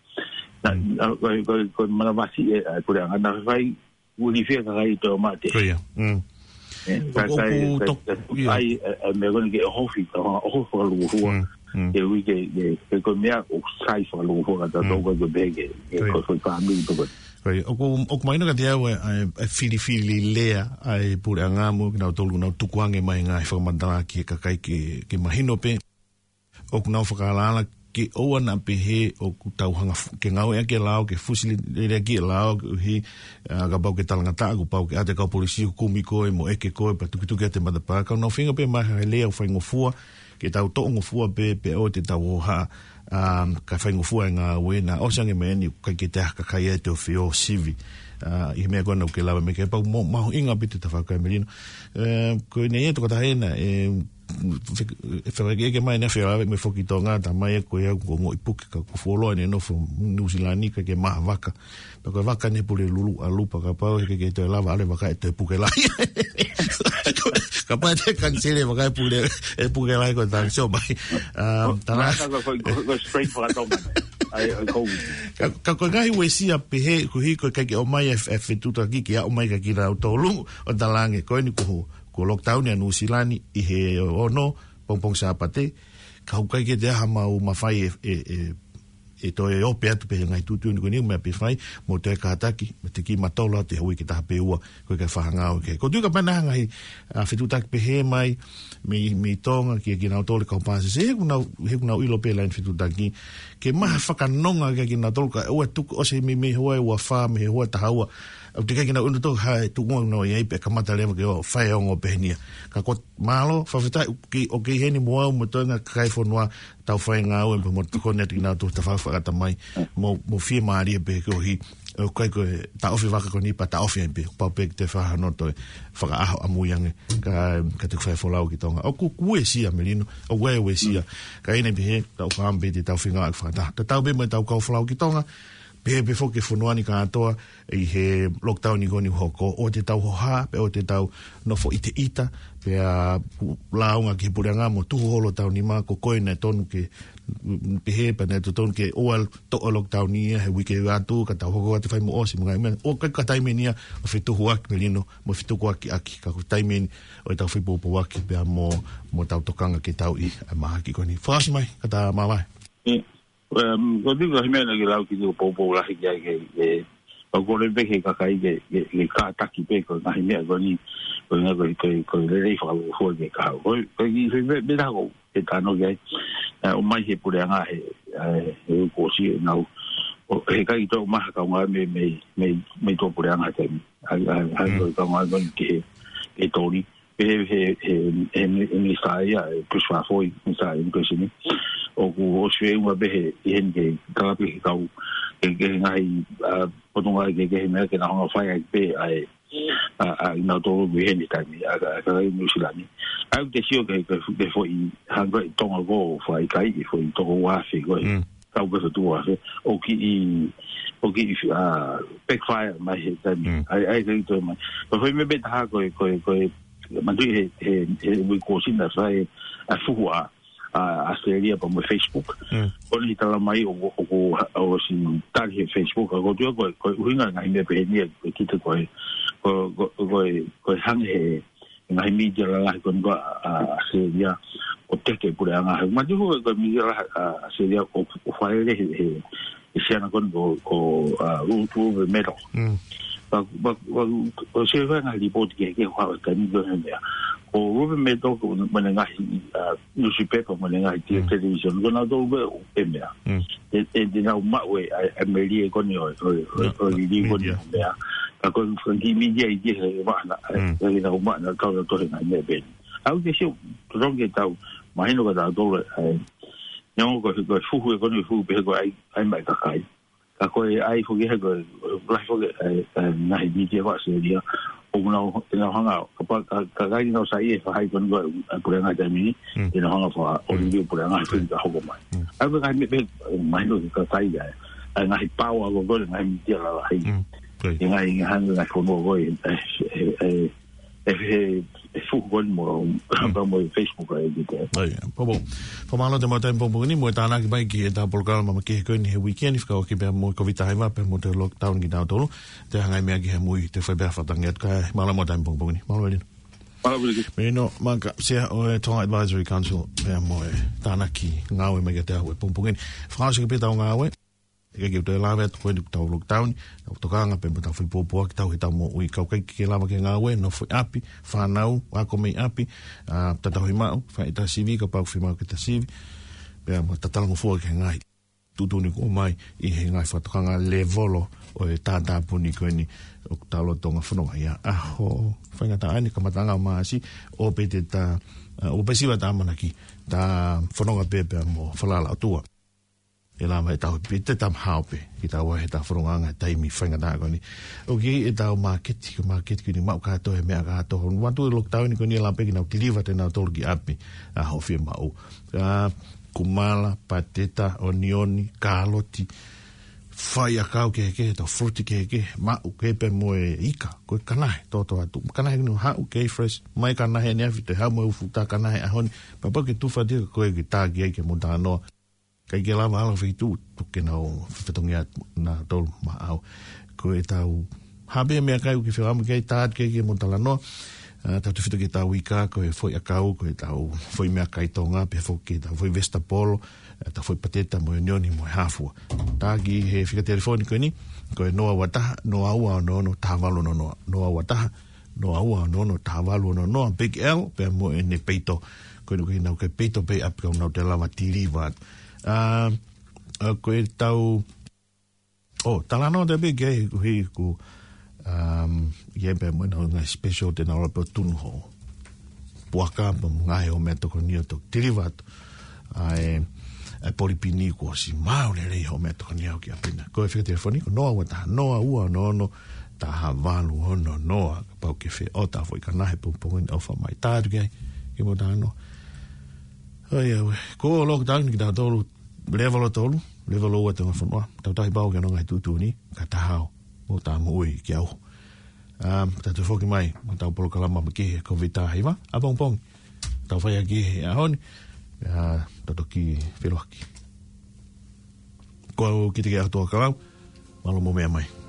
Na, Mm. na, ko, ko, ko manavasiʻi ʻe, ʻa e puleʻanga naʻa faifai, ʻuli fia kakai ʻi Toʻomate. Ko ia. Mm. ʻE, ʻOku, kakai, ʻoku ka, tok-, ka, ia. ʻAi, ʻa, ʻa e meʻa ko eni ke ʻohofi, ka ʻohofi fakalūkufua. Mm, mm. Ke ui ke, ke, ke ko e meʻa ʻoku sai fakalūkufua ka tau Mm. tau ko e ke pehē ke, ke Ko ia. ko e fāmili toko. Ko ia. ʻOku, ʻoku mahino kiate au ʻa e, ʻa e, ʻa e filifili lea ʻa e puleʻanga mo kinautolu ʻoku nau tukuange mai ngaahi fakamatala ki he kakai ke, ke mahino pē ʻoku nau fakaalaala ke ʻoua naʻa pehē ʻoku tau hanga fu-, ke ngāueʻaki e lao, ke fusi lelei ʻaki e lao, koeʻuhi, ʻa, kapau ke talangataʻa, kuo pau ke ʻoatu e kau polisi ʻo kumi koe, mo ʻeke koe, pea tukituki atu e matapā, ka ʻoku nau feinga pē mai ha lea ʻoku faingofua, ke tau toʻongofua pē, pea ʻoua te tau hohaʻa, ʻa, ka faingofua e ngāue, naʻa ʻosi ange mai eni, ʻikai ke toe ʻi ai ha kakai ʻe toe feʻao sivi, ʻa, ʻi he meʻa ko ena ʻoku ke lave mai ki ai pea mo, mahuʻinga pē ʻete tafaʻaki Melino. ʻE, ko eni ia tokotaha ena, ʻe, fe-, ʻe fakaʻekeʻeke mai ʻene afe lave mo e foki Tonga, tā mai ʻe ko ia ʻoku ongoʻi puke ka ʻoku fuoloa ʻene nofo Nuʻusila ni ka ke maha vaka. Pea ko e vaka ʻene pule lulu ʻalu pea kapau ʻe ʻikai ke toe lava ʻalu e vaka ʻe toe puke lahi. Kapau ʻe toe kaniseli e vaka ʻe pule, ʻe puke lahi ko e taha sio mai. Um, tana. Mana ko, ko, ko, ko straight fakatonga. ʻAi, ʻai, ko. Ka, ka ko e ngaahi uesia pehē, koeʻuhi ko e ʻikai ke ʻomai e, e fetuʻutaki ke ʻomai kia kinautolu ʻo talaange ko eni kuo, kuo lockdown ʻa Nuʻusila ni ʻi he ono, pongipongi Sāpate, ka ʻoku ʻikai ke toe ʻi ai haʻamau mafai ʻe, ʻe, ʻe, ʻe toe ope atu pē he ngaahi tuʻutuʻuni ko eni mo e pē fai, mo toe kātaki, mo e tiki matolo atu he uike taha pe ua, ko e ke fahangau ke. Ko e tui kapau naʻe ʻi ai ha ngaahi, ʻa, fetuʻutaki pehē mai, mei, mei Tonga, kia kinautolu e kau pāsese, he ʻoku nau, he ʻoku nau ʻilo pē ʻa e laine fetuʻutaki, ke maha fakanonga kia kinautolu ka ʻoua tuku ʻosi mei, mei he ua ʻe ua fā, mei he ua ʻe taha ua, ʻoku teʻeki ai ke nau ʻilo ʻe nautolu ha tuʻunga ʻoku nau ʻi ai pea kamata leva ke ʻo fai ongo pehē ni ia. Ka ko mālō, fakafetaʻi, ʻoku kei, ʻoku kei ʻi heni mo au, mo e toenga kakai e fonua, tau fai ngāue, mo tokoni atu kinautolu tafaʻaki fakatamai, mo, mo fiemālie pē koeʻuhi, ʻoku ʻikai ko e taʻofi vaka ko eni pea taʻofi ai pē, pau pē ke toe fakahanoto e fakaʻaho ʻamui ange, ka, ka te fai folau ki Tonga. ʻOku, ʻoku uesia Melino, ʻoku uesia, ka ʻi heʻene pehē, tau fāmili pē te tau feinga ʻaki fakataha. Tatau pē mo ʻetau kau folau ki Tonga, pehē pē foki ki he fonua ni kātoa, ʻi he lockdown ko eni ʻoku hoko, ʻoua te tau hohaʻa, pea ʻoua te tau nofo ʻiteʻita, pea lāunga ki he puleʻanga mo tuhu holo ʻetau nima, ko koe naʻe tonu ke, mm, pehē pea naʻe totonu ke ʻoua toʻo e lockdown ia he uike ʻe ua atu, ka tau hoko atu fai mo ʻosi mo e ngaahi meʻa, ʻoku ʻikai ko e taimi eni ia ʻo fetuhuaki Melino, mo fetukuakiʻaki, ka ko e taimi eni ʻo ʻetau fepoupouaki pea mo, mo ʻetau tokanga ke tau ʻi he mahaki ko eni. Fakaʻosi mai, ka ta māvae. ʻE, Um, ko e tui ko e meʻa naʻa ke lau ki he poupou lahi ki ai ke, ke, ʻoku kole pē ki he kakai ke, ke, ke kātaki pē ko e ngaahi meʻa ko eni, ko e ngaahi ko e, ko e, ko e lelei fakalūkufua ke kau. Ko e, ko e kiʻi meʻa, meʻa ko e tano ki ai, ʻa, ʻomai he puleʻanga he, ʻa, he kuo ʻosi ʻenau, ʻo, he ʻikai toe ʻomai ha kaungāmeʻa mei, mei, mei tuʻapuleʻanga he taimi. ʻA, ʻa, ʻa, Mm. ko e kaungāmeʻa ko eni ki he, ki he toni. He, he, he, he, he minisitā ia, ʻe Christopher Foy, minisitā ʻi he Immigration ni. ʻOku ʻosi feʻunga pē he, ʻi heni ke kalapi he kau, ke, ke ngaahi, ʻa, potungāue kehekehe meʻa ke nau hanga fai ai pē, ʻa e, ʻa, ʻa, ʻi nautolu ʻi heni taimi, ʻa, ʻa, ʻa, ʻi Nuʻusila ni. ʻA, ʻoku te sio ke, ke, ke foʻi hangē ʻi Tonga ko, fai kai, ke foʻi toko ua afe ko e. Mm. Kau ke fotu afe, ʻoku kiʻi, ʻoku kiʻi, ʻa, backfire mai he taimi. Mm. ʻAi, ʻai, kai toe mai. Ko e foʻi meʻa pē taha ko e, ko e, ko e, manatuʻi he, he, he uike kuo ʻosi naʻe fai, ʻa, fuhu ʻa, ʻa, ʻAositelēlia pea mo e Facebook. Mm. Ko eni tala mai ʻoku, ʻoku, ʻosi tali he Facebook, ka ko e tui ko e, ko e ʻuhinga ngaahi meʻa pehē ni ʻe kita ko e, ko, ko, ko e, ko e hangē he, ngaahi mītia lalahi ko eni ko ē ʻa, ʻa, ʻAositelēlia ʻo teke puleʻanga. He mati ko e, ko e mītia lalahi ʻa, ʻAositelēlia ʻo, ʻo fai lele he, he, he siana ko eni ko, ko, ʻa, Ru-, Rupert Murdoch. Mm. Pea, pea, pea, ʻoku ou sio ki he ngaahi lipooti kehekehe ʻoku haʻu he taimi ko ē he meʻa. Ko Rupert Murdoch ko ʻene ngaahi, ʻa, newspaper mo ʻene ngaahi te-, Mm. television. Ko nautolu pē ʻoku meʻa. Mm. ʻE, ʻe, te nau maʻu e, ʻa, ʻa e melie ko eni ʻo, ʻo, ʻo, ʻIo, ʻo e liliu ko eni mītia. Meʻa. Ka ko e, ko e kiʻi mītia ʻi he, he maʻana, ʻe, Mm. ʻe, nau maʻana, kau na tohe ngaahi meʻa pē. ʻOku te sio, totonu ke tau, mahino ka tau tolo, ʻe, neongo ko e, ko e fuhu ē ko eni fuhu pē ko e ʻai, ʻai mai kakai. Ka ko e ʻai foki he ko e, lahi foki, ʻe, ʻe, ngaahi mītia ko ē ʻAositelēlia. ʻOku nau, te nau hanga, ka pa, ka, ka kai nau saiʻia he faʻahi ko eni ko e, ʻa, puleʻanga taimi ni, Mm. te nau hanga fakaʻolivi Mm. puleʻanga he Right. fili ka hoko mai. Mm. ʻA ia ko e ngaahi meʻa pē, mahino ke kakai ʻa e, ʻa e ngaahi power ko ē, ngaahi mītia lalahi. Mm. Right. ʻI he ngaahi, ngaahi, ngaahi fonua ko ē, ʻe, ʻe, ʻe, e he, e fuhu ko eni mo, mo e Facebook ʻa e ʻEiki. ʻAi, pōpō. Fakamālō atu mo e taimi pongipongi ni, mo e tānaki mai ki heʻetau polokalama makehe ko eni he uike ni, fekauʻaki pea mo e Kōviti taha hiva, pea mo e lockdown kitautolu, te hangai meʻa ki he mui, te fai pea fatangi atu ka, mālō mo e taimi pongipongi ni. Mālō Melino. Mālō Melino. Melino Maka, Sea ʻo e Tonga Advisory Council, pea mo e tānaki ngāue mai kiate au he pongipongi ni. Fakaʻosi pē ʻetau ngāue. ʻIkai ke u toe lave atu ko eni ʻoku tau lockdown, tau tokanga pē mo ʻetau fai pōpoaki ʻetau he ʻetau moʻui, ka ʻoku ʻikai ke lava ke ngāue, nofo ʻi ʻapi, fānau, ako mei ʻapi, ʻa, tatau ʻi maʻu, fai ʻeta sivi, kapau ʻoku fiemaʻu ke ta sivi, pea mo tatalangofua ki he ngaahi tuʻutuʻuni kuo ʻomai ʻi he ngaahi fakatokanga lēvolo ʻo e tātāpuni ko eni ʻoku tau lolotonga fononga ai. ʻAho faingataʻa eni, kamataʻanga ʻo Maʻasi, ʻoku pehē ʻeta, ʻa, ʻoku pehē siva ʻeta ʻamanaki, ta fononga pē pea mo e falala ʻOtua. ʻE lava ʻetau pē, te tau hao pē, ke tau ʻi ai heʻetau fonongaʻanga he taimi faingataʻa ko eni. ʻOku ʻi ai ʻetau māketi, ko e māketi ko eni maʻu kātoa e meʻa kātoa. Hono ua atu e lockdown ko eni ʻe lava pē ke nau deliver ʻe nautolu ki ʻapi, ʻa hoʻo fiemaʻu. ʻA, kumala, pateta, onioni, kāloti, faiʻakau kehekehe, ʻetau fruit kehekehe, maʻu kehe pē mo e ika, ko e kanahe, toto atu. Kanahe ko eni haʻu, kei fresh, mai kanahe ʻaneafi, toe haʻu mo e fuʻu tā kanahe ʻaho ni, pea pau ke tufa atu ia ko ē ke tā ki ai ke mo talanoa. ʻIkai ke lava ʻalu ki ha feituʻu, tuku ke nau fefetongi atu nautolu maʻau. Ko ʻetau hā pē meʻakai ʻoku ke fie ʻamu ki ai, tā atu ki ai ke mo talanoa. ʻA, tautefito ki heʻetau ika, ko e foʻi ʻakau, ko ʻetau foʻi meʻakai Tonga, pea foki ki heʻetau foʻi vesitapolo, ʻetau foʻi pateta mo e onioni mo e hāfua. Tā ki he fika telefoni ko eni, ko e noa ua taha, noa ua ono ono, taha valu ono noa. Noa ua taha, noa ua ono ono, taha valu ono noa, Big L, pea mo ʻene peito. Ko eni ko ē ʻoku nau kei peito pē ʻi ʻapi ka ʻoku nau toe lava deliver atu. ʻA, ʻa, ko ʻetau, ʻo, talanoa atu pē ki ai, ko e, ko, um, ʻi ai pē mo e ngaahi special te nau lava pē ʻo tunu hoʻo puaka pea mo e ngaahi hoʻo meʻatokoni ʻo toki deliver atu. ʻA e, ʻa e polipini kuo ʻosi maʻu lelei hoʻo meʻatokoni ʻo aʻu ki ʻapi na. Ko e fika telefoni, ko e noa ua taha, noa ua ono ono, taha valu ono noa, kapau ʻoku ke fie ʻoatu ha foʻi kanahe pongipongi ni, ʻofa mai, tā atu ki ai, ke mo talanoa. ʻAi, ʻaue. Ko e lockdown kitautolu, lēvolo tolu, lēvolo ua ʻetau fonua, tau tauhi pau ki hono ngaahi tuʻutuʻuni, ka ta hao, mo ta moʻui ki ʻauha. ʻA, ta toe foki mai mo ʻetau polokalama makehe Kōviti taha hiva, ʻapongipongi. Tau fai ʻaki he ʻaho ni, ʻa, tau toki feʻiloaki. Ko au Kite Keaotua Kalau, mālō mo e meʻa mai.